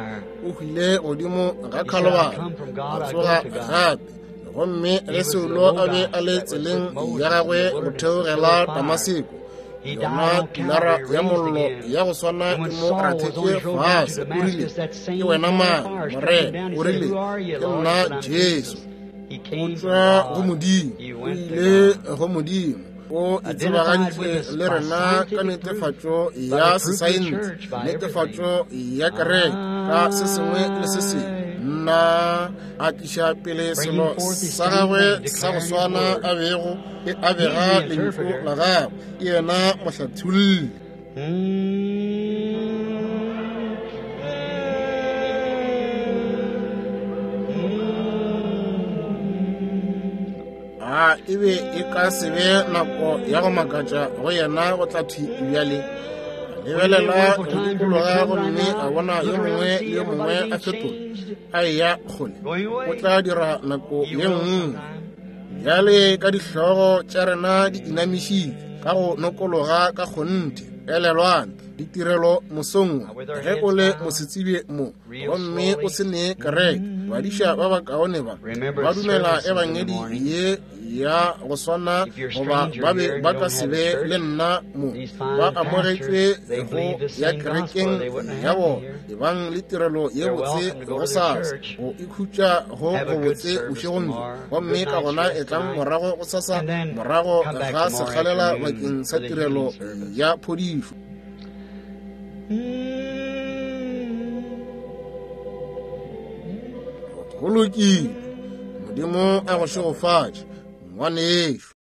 O hwile godimo ga Khalobari, a tsoga gape. Gomme ge Saulo a be a le tseleng ya gagwe go theogela Damaseko, yona pilara ya mollo ya go swana e mo rathetše fase. O rile, Ke wena mang, Morena? O rile, Ke nna Jesu. O tšwa go Modimo, o ile go Modimo. O itsebagaditše le rena ka netefatšo ya sesaense, netefatšo ya kereke, ka se sengwe le se sengwe. Nna a tliša pele selo sa gagwe sa go swana a bego e a bega lentšu la gagwe. Ke yena mohlatholli. A e be e ka se be nako ya go makatša go yena go tla thwi bjale? A lebelela go dikologa gomme a bona yo mongwe le yo mongwe a fetola a eya kgole. O tla dira nako ye nngwe. Bjale ka dihlogo tša rena di inamišitšwe ka go nokologa ka kgonthe, elelwang ditirelo mosong wo. Ge o le mosetsebje mo gomme o se ne kereke, badiša ba bakaone ba ba dumela ebangedi ye ya go swana, goba ba be ba ka se be le nna mo. Ba amogetšwe go ya kerekeng ya bona. Ebang le tirelo ye botse gosasa, go ikhutša go gobotse bošegong bjo, gomme ka gona etlang morago gosasa morago ga sekgalela bakeng sa tirelo ya phodišo. Go lokile. Modimo a go šegofatše, ngwanešu.